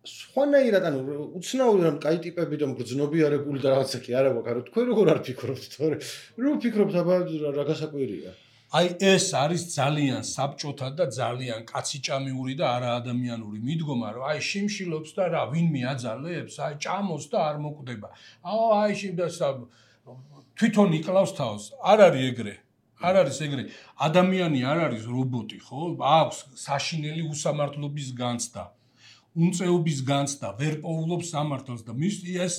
სხვანაირად ანუ უცნაური რომ კაი ტიპები და მგრძნობიარებული და რაღაცა კი არა გვაქვს, არა თქვენ როგორ არ ფიქრობთ, თორე რო ფიქრობთ აბა რა გასაკვირია. აი ეს არის ძალიან საბჭოთა და ძალიან კაციჭამიური და არაადამიანური მიდგომა, რომ აი შიმშილობს და რა ვინმე აძალებს, აი ჭამოს და არ მოკვდება. აი თვითონ იკლავს თავს. არ არის ეგრე. არ არის ეგრე. ადამიანი არ არის რობოტი, ხო? აქვს საშინელი უსამართლობის განცდა. უნწეობის განცდა, ვერ პოულობს სამართალს და მის ეს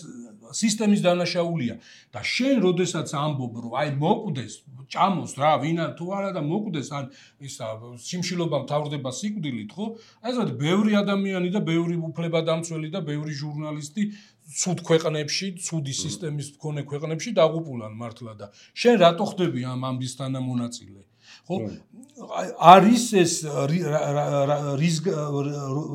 სისტემის დანაშაულია და შენ როდესაც ამბობ რომ აი მოკვდეს ჭამოს რა ვინა თუ არა და მოკვდეს ან ისა სიმშილობა მთავრდება სიკვდილით ხო აი ესეთ ბევრი ადამიანი და ბევრი უფლებადამცველი და ბევრი ჟურნალისტი ცუდ ქვეყნებში ცუდი სისტემის მქონე ქვეყნებში დაღუპულან მართლა და შენ რატო ხდები ამ ამბის თანამონაწილე ხო არის ეს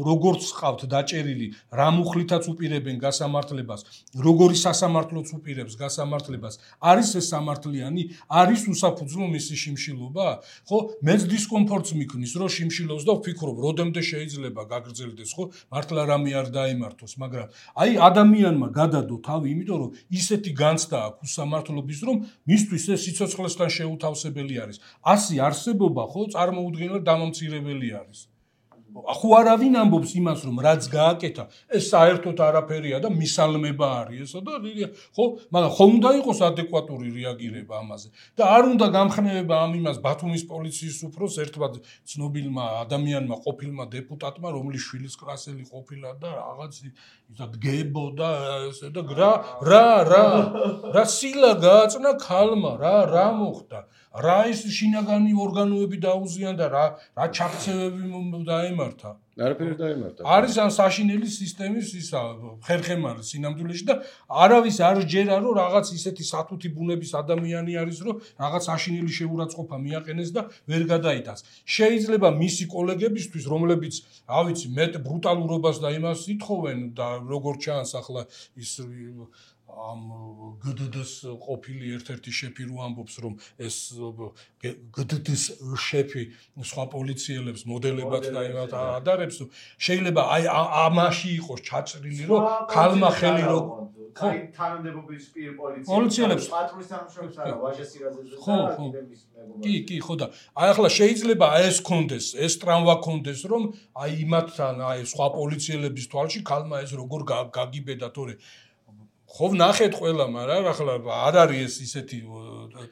როგორც ყავთ დაჭერილი რა მუხლითაც უპირებენ გასამართლებას როგორი სასამართლოც უპირებს გასამართლებას არის ეს სამართლიანი არის უსაფუძვლო მისი შიმშილობა ხო მეც დისკომფორტს მიქნის რომ შიმშილობს და ვფიქრობ როდემდე შეიძლება გაგრძელდეს ხო მართლა რამე არ დაემართოს მაგრამ აი ადამიანმა გადადო თავი იმიტომ რომ ისეთი განცდა აქვს უსამართლობის რომ მისთვის ეს სიცოცხლესთან შეუთავსებელი არის ასი არსებობა ხო წარმოუდგენლად დამამცირებელი არის. ხო არავინ ამბობს იმას რომ რაც გააკეთა ეს საერთოდ არაფერია და მისალმება არის ესა და ხო მაგრამ ხომ უნდა იყოს ადეკვატური რეაგირება ამაზე და არ უნდა გამხნევება ამ იმას ბათუმის პოლიციის უფროს ერთმა ცნობილმა ადამიანმა ყოფილმა დეპუტატმა რომლის შვილის კრასელი ყოფილა და რაღაც ისა დგებო და ესე და რა სილა გააწნა ქალმა რა მოხდა რა ის შინაგანი ორგანოები დაუზიან და რა ჩაქცევები დაემართა არაფერი დაემართა არის ან საშინელი სისტემის ისა ხერხემალი სინამდვილეში და არავის არ ჯერა რომ რაღაც ისეთი სათუთი ბუნების ადამიანი არის რომ რაღაც საშინელი შეურაცხყოფა მიაყენეს და ვერ გადაიტანს შეიძლება მისი კოლეგებისთვის რომლებიც რა ვიცი მეტ ბრუტალურობას და იმას ითხოვენ და როგორ ჩანს ახლა ის ამ გდდს ყოფილი ერთ-ერთი შეფი რო ამბობს რომ ეს გდდს შეფი სხვა პოლიციელებს მოდელებად და იმათ ადარებს შეიძლება აი ამაში იყოს ჩაწრილი რომ ქალმა ხელი რო ხო თანამდებობის პირ პოლიციელებს პატრულის თანამშრომლებს არა ვაჟა სირაძეზე და კიდემის მეგობარი კი ხო და აი ახლა შეიძლება ეს კონდეს ეს ტრამვა კონდეს რომ აი იმათთან აი სხვა პოლიციელების თვალში ქალმა ეს როგორ გაგიბედა თორე ხო ნახეთ ყველა მაგრამ ახლა არ არის ეს ისეთი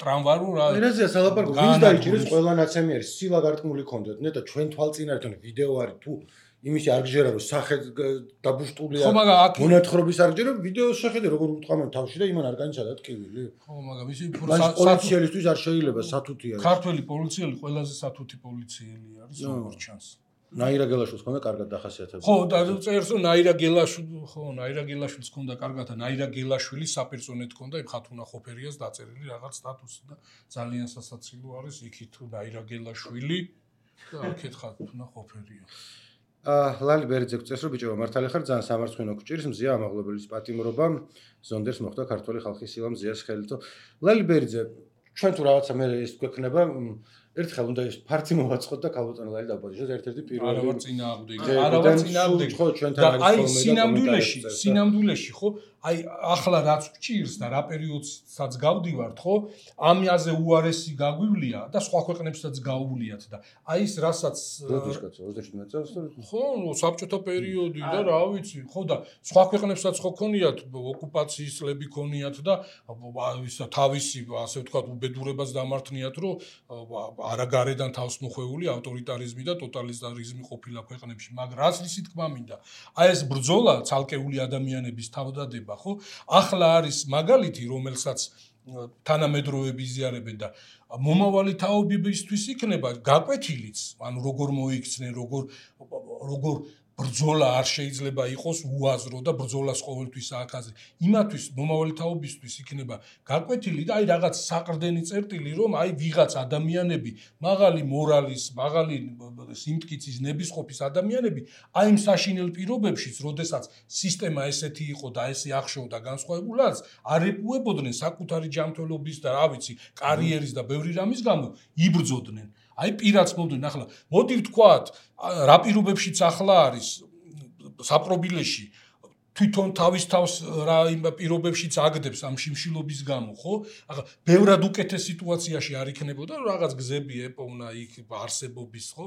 ტრამვარო რა ერაზეა სალაპარაკო ვინც დაიჭირეს ყველა ნაცემი არის სილა გარკმული კონდეთ ნეტა ჩვენ თვალწინართან ვიდეო არის თუ იმისი არ გჯერა რომ სახე დაბუშტულია მონათხრობის არ გჯერა ვიდეოს შეხედე როგორ უთყამენ თავში და იმან არ განიცადა ტკივილი ხო მაგრამ ისი პოლიციელისთვის არ შეიძლება სათუთი არის ქართველი პოლიციელი ყველაზე სათუთი პოლიციელი არის როგორც ჩანს ნაირა გელაშვილს ხონდა კარგად დახასიათებული. ხო, და წერს რომ ნაირა გელაშვილს ხონდა კარგად და ნაირა გელაშვილი საპერსონეთ ხონდა იმ ხათუნა ხოფერიას დაწერილი რაღაც სტატუსი და ძალიან სასაცილო არის იქით თუ ნაირა გელაშვილი და აქეთ ხათუნა ხოფერია. ლალი ბერიძე გწეს რომ ბიჭო მართალი ხარ ძალიან სამარცხვინო გჭირს მზია ამაღლებლის პატიმრობა ზონდერს მოხდა ქართული ხალხის სილა მზიას ხელითო. ლალი ბერიძე ჩვენ თუ რაღაცა მე ეს გვექნება ერთხელ უნდა ის ფარცი მოვაწყოთ და ქალბატონლარი დაბადიშოს ერთ-ერთი პირველი არავარ წინააღმდეგი ხო ჩვენთან არის სინამდვილეში ხო აი ახლა რაც გჭირს და რა პერიოდსაც გავდივართ ხო ამაზე უარესი გაგვივლია და სხვა ქვეყნებსაც გაუვლიათ და აი ეს რასაც 27 წელს ხო საბჭოთა პერიოდი და რა ვიცი ხო და სხვა ქვეყნებსაც ხო ქონიათ ოკუპაციის წლები ქონიათ და ისა თავისი ასე ვთქვათ უბედურებას დამართნიათ რომ არა გარედან თავს მოხვეული ავტორიტარიზმი და ტოტალიტარიზმი ყოფილა ქვეყნებში, მაგრამ რაც ისი თქმა მინდა, აი ეს ბრძოლა ცალკეული ადამიანების თავდადება, ხო? ახლა არის მაგალითი, რომელსაც თანამედროვეები იზიარებენ და მომავალი თაობებისთვის იქნება გაკვეთილიც, ანუ როგორ მოიქცნენ, როგორ ბრძოლა არ შეიძლება იყოს უაზრო და ბრძოლას ყოველთვის აკაზე. იმათვის მომავალი თაობისთვის იქნება გაკვეთილი და აი რაღაც საყრდენი წერტილი, რომ აი ვიღაც ადამიანები, მაღალი მორალის, მაღალი სიმტკიცის, ნებისყოფის ადამიანები, აი იმ საშინელ პირობებშიც, როდესაც სისტემა ესეთი იყო და ესე ახშობდა განსხვავებულად, არ ეპუებოდნენ საკუთარი ჯანმრთელობის და რა ვიცი, კარიერის და ბევრი რამის გამო იბრძოდნენ. აი პირაც მომდენ ახლა მოდი ვთქვათ რა პირობებშიც ახლა არის საპრობილეში თვითონ თავის თავს რა იმ პირობებშიც აგდებს ამ შიმშილობის გამო ხო ახლა ბევრად უკეთეს სიტუაციაში არ იქნებოდა რაღაც გზები ეპოვნა იქ არსებობის ხო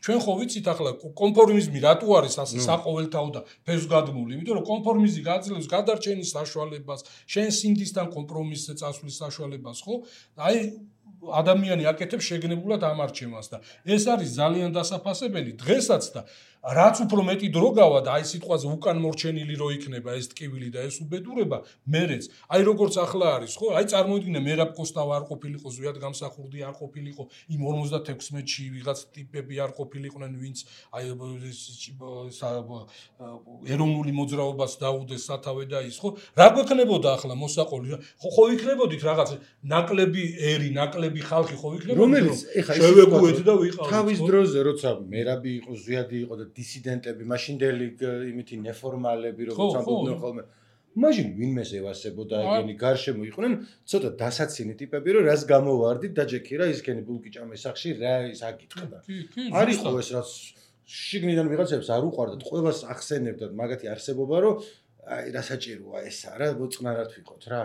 ჩვენ ხო ვიცით ახლა კონფორმიზმი რატო არის ასე საყოველთაო და ფესვგადგმული იმიტომ რომ კონფორმიზმი გაძლევს გადარჩენის საშუალებას შენ სინდისთან კომპრომისზე წასვლის საშუალებას ხო აი ადამიანი აკეთებს შეგნებულად ამ არჩევანს და ეს არის ძალიან დასაფასებელი დღესაც და რაც უფრო მეტი დრო გავა და აი სიტყვაზე უკან მორჩენილი რო იქნება ეს ტკივილი და ეს უბედურება მერეც აი როგორც ახლა არის ხო აი წარმოიდგინე მერაბ კოსტავა არ ყოფილიყო ზვიად გამსახურდი არ ყოფილიყო იმ 56-ში ვიღაც ტიპები არ ყოფილიყვნენ ვინც აი ეროვნული მოძრაობას დაუდეს სათავე და ის ხო რა გვექნებოდა ახლა მოსაყოლი ხო იქნებოდით რაღაც ნაკლები ერი ნაკლები ხალხი ხო იქნებოდა რომელიც ეხა შევეგუეთ და ვიყავით თავის დროზე როცა მერაბი იყო ზვიადი იყო და დისიდენტები მაშინდელი იმითი ნეფორმალები როგორც ამბობდნენ ხოლმე მაშინ ვინმეს ევასებოდა ეგენი გარშემო იყვნენ ცოტა დასაცინი ტიპები რომ რას გამოვარდით და ჯექი რა ისქენი ბულკიჭამეს სახში რა ის აკითხდა არის ხო ეს რაც შიგნიდან ვიღაცებს არ უყვარდათ ყველას ახსენებდათ მაგათი არსებობა რომ აი რა საჭიროა ესა რა მოწყნარად ვიყოთ რა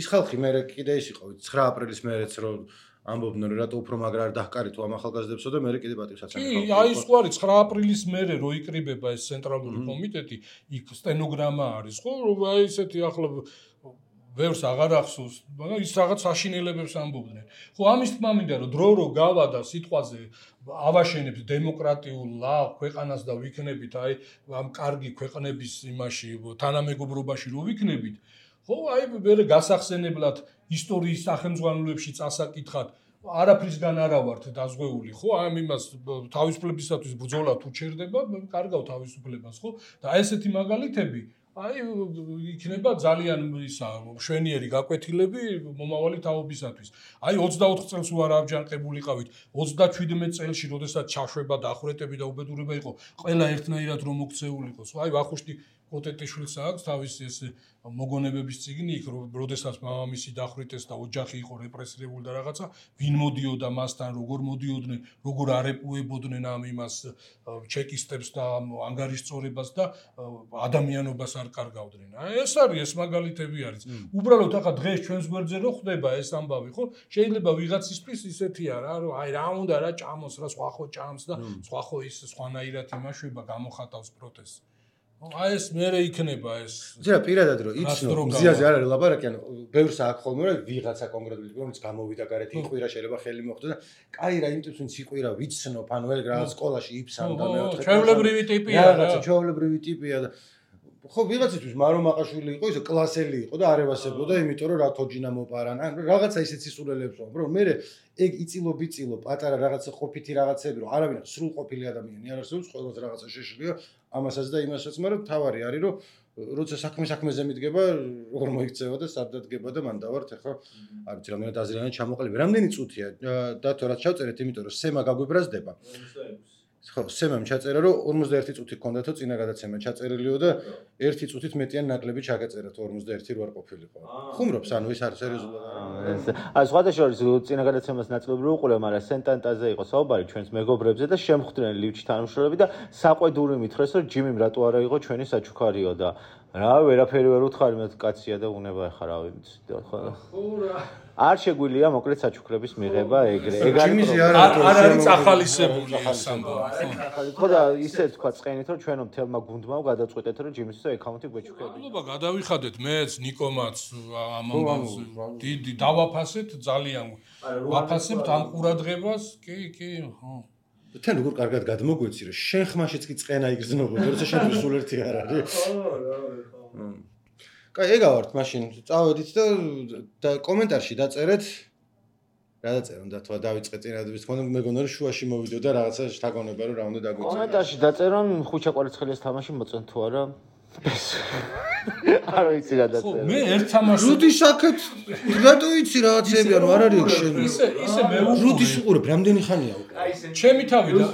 ის ხალხი მე კიდე ის იყო 9 აპრილის მერეც რომ ამბობდნენ რომ რატო უფრო მაგრა არ დაჰკარით ამ ახალგაზრდებსო და მე კიდე პატივსაცემი ხალხი. კი, აი სხვარი 9 აპრილის მერე რო იკრიბება ეს ცენტრალური კომიტეტი, იქ სტენოგრამა არის, ხო, რომ აი ესეთი ახლა ვერს აღარ ახსოვს, მაგრამ ის რაღაც საშინელებებს ამბობდნენ. ხო, ამის თქმა მინდა რომ დრო გავა და სიტყვაზე ავაშენებს დემოკრატიულ ქვეყანას და ვიქნებით აი ამ კარგი ქვეყნების იმაში თანამეგობრობაში რო ვიქნებით ხო, აი მე გასახსენებლად ისტორიის სახელმძღვანელოებში წასაკითხად არაფრისგან არა ვართ დაზღვეული, ხო? ამ იმას თავისუფლებისათვის ბრძოლა თუ ჩერდება, კარგავ თავისუფლებას, ხო? და ესეთი მაგალითები, აი იქნება ძალიან ისა მშვენიერი გაკვეთილები მომავალი თაობისათვის. აი 24 წელს ვარ ამჯანყებულიყავით, 37 წელში, როდესაც ჩაშვება და ახურეტები და უბედურება იყო, ყველა ერთნაირად რომ მოქცეულიყო. აი ვახუშტი კოტეტიშვილს აქვს თავისი ეს მოგონებების წიგნი იქ როდესაც მამამისი დახვრიტეს და ოჯახი იყო რეპრესირებული და რაღაცა ვინ მოდიოდა მასთან როგორ მოდიოდნენ როგორ არეპუებოდნენ ამ იმას ჩეკისტებს და ანგარიშწორებას და ადამიანობას არ კარგავდნენ ეს არის ეს მაგალითები არის უბრალოდ ახლა დღეს ჩვენს გვერდზე რო ხდება ეს ამბავი ხო შეიძლება ვიღაცისთვის ისეთია რა რომ აი რა უნდა რა ჭამოს რა სხვა ხო ჭამს და სხვა ხო ის სხვანაირად იმაშვება გამოხატავს პროტესტს აი ეს მერე იქნება ეს ძირა პირადად რომ იცნო მზიაზე არ არის ლაპარაკი ანუ ბევრს აქ ხოლმე რომ ვიღაცა კონკრეტული რომელიც გამოვიდა გარეთ იყვირა შეიძლება ხელი მოხდა და კაი რა იმტებს ვინც იყვირა ვიცნო ანუ ეგ რაღაც სკოლაში იფსამ და მეოთხე ჩვეულებრივი ტიპია რაღაცა ჩვეულებრივი ტიპია და ხო ვიღაცისთვის მარო მაყაშვილი იყო ისე კლასელი იყო და არ ევასებოდა იმიტომ რომ რა თოჯინა მოპარან ან რაღაცა ისეთ სისულელებს რომ მე ეგ იწილო პატარა რაღაცა ყოფითი რაღაცები რომ არავინ სრულყოფილი ადამიანი არ არსებობს ყველას რაღაცა შეშლია ამასაც და იმასაც მაგრამ თავარი არის რომ როცა საქმეზე მიდგება როგორ მოიქცევა და სად დადგება და მან დავართ ახლა არ ვიცი რამდენად აზრიანად ჩამოყალიბე რამდენი წუთია და თუ რაც ჩავწერეთ იმიტომ რომ სემა გაგვიბრაზდება ხო, სემამ ჩაწერა რომ 51 წუთი ჰქონდათო წინა გადაცემა ჩაწერილიო და 1 წუთით მეტიან ნაკლები ჩაგეწერათ 51 რო არ ყოფილიყო. ხუმრობს ანუ ეს არის სერიოზულად არა. აი სხვადასხვა წინა გადაცემას ნაწილობრივ უყურე, მაგრამ სენტანტაზე იყო საუბარი ჩვენს მეგობრებზე და შემხვდნენ ლივჩი თანამშრომლები და საყვედური მითხრეს რომ ჯიმიმ რატო არა იყო ჩვენი საჩუქარიო და რა ვერაფერი ვერ უთხარი მე კაცია და უნება ახლა რა ვიცი ხო რა არ შეგვიძლია მოკლედ საჩუქრების მიღება ეგრე არ არის ახალისებული ეს ამბავი ხო და ისე თქვა წენით რომ ჩვენო მთელმა გუნდმა გადაწყვეტეთ რომ ჯიმის აკაუნტი გვეჩუქებია მადლობა გადავიხადეთ მეც ნიკომაც ამ ამბავს დიდი დავაფასეთ ძალიან ვაფასებთ ამ ყურადღებას კი ხო თან როგორ კარგად გადმოგვეცი რომ შენ ხმაშიც კი წენა იგრძნობოდა როცა შენ სულ ერთი არ არის ხო კაი ეგავართ მაშინ წავედით და კომენტარში დაწერეთ რა დაწერონ და თქვა დავიწყე წინადების თქმა უნდა მეგონა რომ შუაში მოვიდო და რაღაცა შთაგონება რომ რა უნდა დაგვიწერო კომენტარში დაწერონ ხუჩა კვარცხელიას თამაში მოწონ თუ არა არ ვიცი რა დაწერა. მე ერთ თამაშს რუდი საკეთ რატო იცი რაღაცები ანუ არ არის შენ. ისე მე რუდის უყურებ რამდენი ხანია უკვე. ჩემი თავი და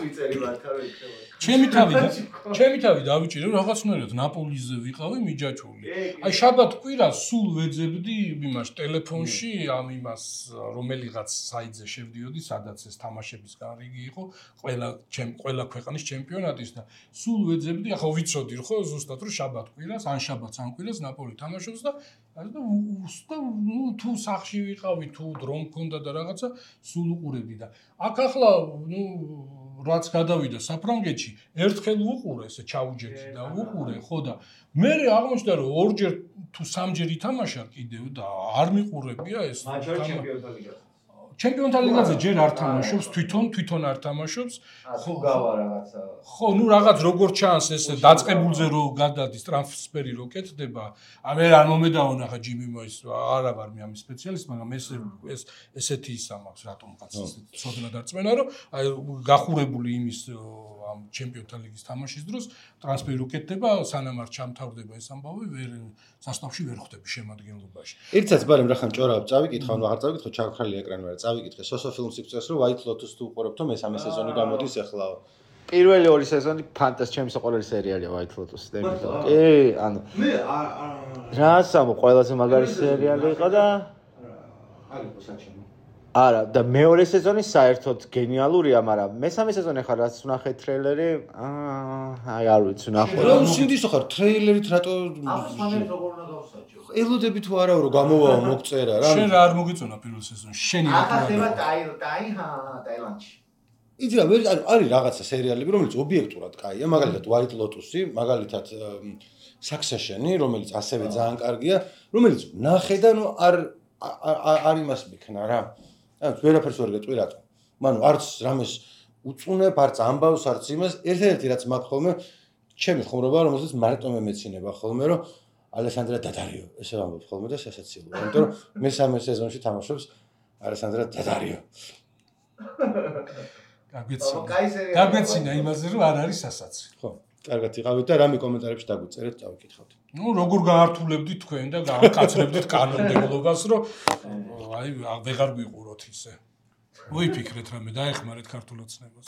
ჩემი თავი დავიჭირე რაღაცნაირად ნაპოლიზე ვიყავი მიჯაჭვული. აი შაბათ კვირას სულ ვეძებდი იმას ტელეფონში ამ იმას რომელიღაც საიტზე შევდიოდი სადაც ეს თამაშების გარიგი იყო ყველა ქვეყნის ჩემპიონატის და სულ ვეძებდი ახლა ვიცოდი ხო ზუსტად რომ შაბათ კვირას ან შაბათს ან კვირას ნაპოლი თამაშობს და თუ სახში ვიყავი თუ დრო მქონდა და რაღაცა სულ უყურებდი და აქ ახლა რაც გადავიდა საფრანგეთში ერთხელ უყურე ესე ჩაუჯექი და უყურე ხო და მე აღმოჩნდა რომ ორჯერ თუ სამჯერ ითამაშა კიდევ და არ მიყურებია ეს ჩემპიონთა ლიგაზე ჯერ არ თამაშობს, თვითონ არ თამაშობს. ხო, გავა რაღაცა. ხო, ნუ რაღაც როგორ ჩანს ეს დაწყებულზე რო გადადის ტრანსფერი რო კეთდება, მე არ მომედაონა ხა ჯიმი მოის, არა ვარ მე ამის სპეციალისტი, მაგრამ ეს ესეთი ისა მაქვს რატომ კაც ცოდნა დარწმენა, რომ აი გახურებული იმის ამ ჩემპიონთა ლიგის თამაშის დროს ტრანსფერი რო კეთდება, სანამ არ ჩამთავრდება ეს ამბავი, სასწავლში ვერ ხვდები შემადგენლობაში. ერთსაც ბარემ რახან ჭორავ წავიკითხა, ანუ აღარ წავიკითხო, ჩაქრალი ეკრანი ვარ, წავიკითხე სოსო ფილმს იფწეს, რომ White Lotus თუ უყურებთ, რომ მესამე სეზონი გამოდის ახლა. პირველი ორი სეზონი ფანტასტიკი, ჩემს ყოველი სერიალია White Lotus. კი, ანუ მე რა სამო ყველაზე მაგარი სერიალი იყო და არის პოსაჩემო. არა, და მეორე სეზონი საერთოდ გენიალურია, მაგრამ მესამე სეზონი ხარ რაც ვნახე ტრეილერი, აი არ ვიცი ვნახე. რა სინდისო ხარ ტრეილერით რატო ახსნეთ როგორ უნდა გავსაჯო. ელოდები თუ არა რომ გამოვაო მოგწერა რა. შენ რა არ მოგიწონა პირველ სეზონში? შენი ახლა ტაილანდში. იცი რა, არის რაღაცა სერიალები, რომელიც ობიექტურად კაია, მაგალითად White Lotus-ი, მაგალითად Succession-ი, რომელიც ასევე ძალიან კარგია, რომელიც ნახე და ნუ არ იმას მიქნა რა. ანუ ვერაფერს ვერ გეტყვი რატო. მანუ არც რამეს უწუნებ, არც ამბავს, არც იმას, ერთ-ერთი რაც მაქვს ხოლმე, ჩემი ხუმრობა, რომელსაც მარტო მე მეცინება ხოლმე, რომ ალესანდრა დადარიო, ესე ვამბობ ხოლმე და სასაცილოა. იმიტომ რომ მესამე სეზონში თამაშობს ალესანდრა დადარიო. გაგვეცინა იმაზე, რომ არ არის სასაცი. ხო, კარგად იყავით და რამე კომენტარებში დაგვიწერეთ, წავიკითხავთ. ნუ როგორ გაართულებდით თქვენ და გააკაცრებდით კანონმდებლობას, რომ აი ვეღარ გვიყუროთ ისე. მოიფიქრეთ რამე, დაეხმარეთ ქართულ ოცნებას.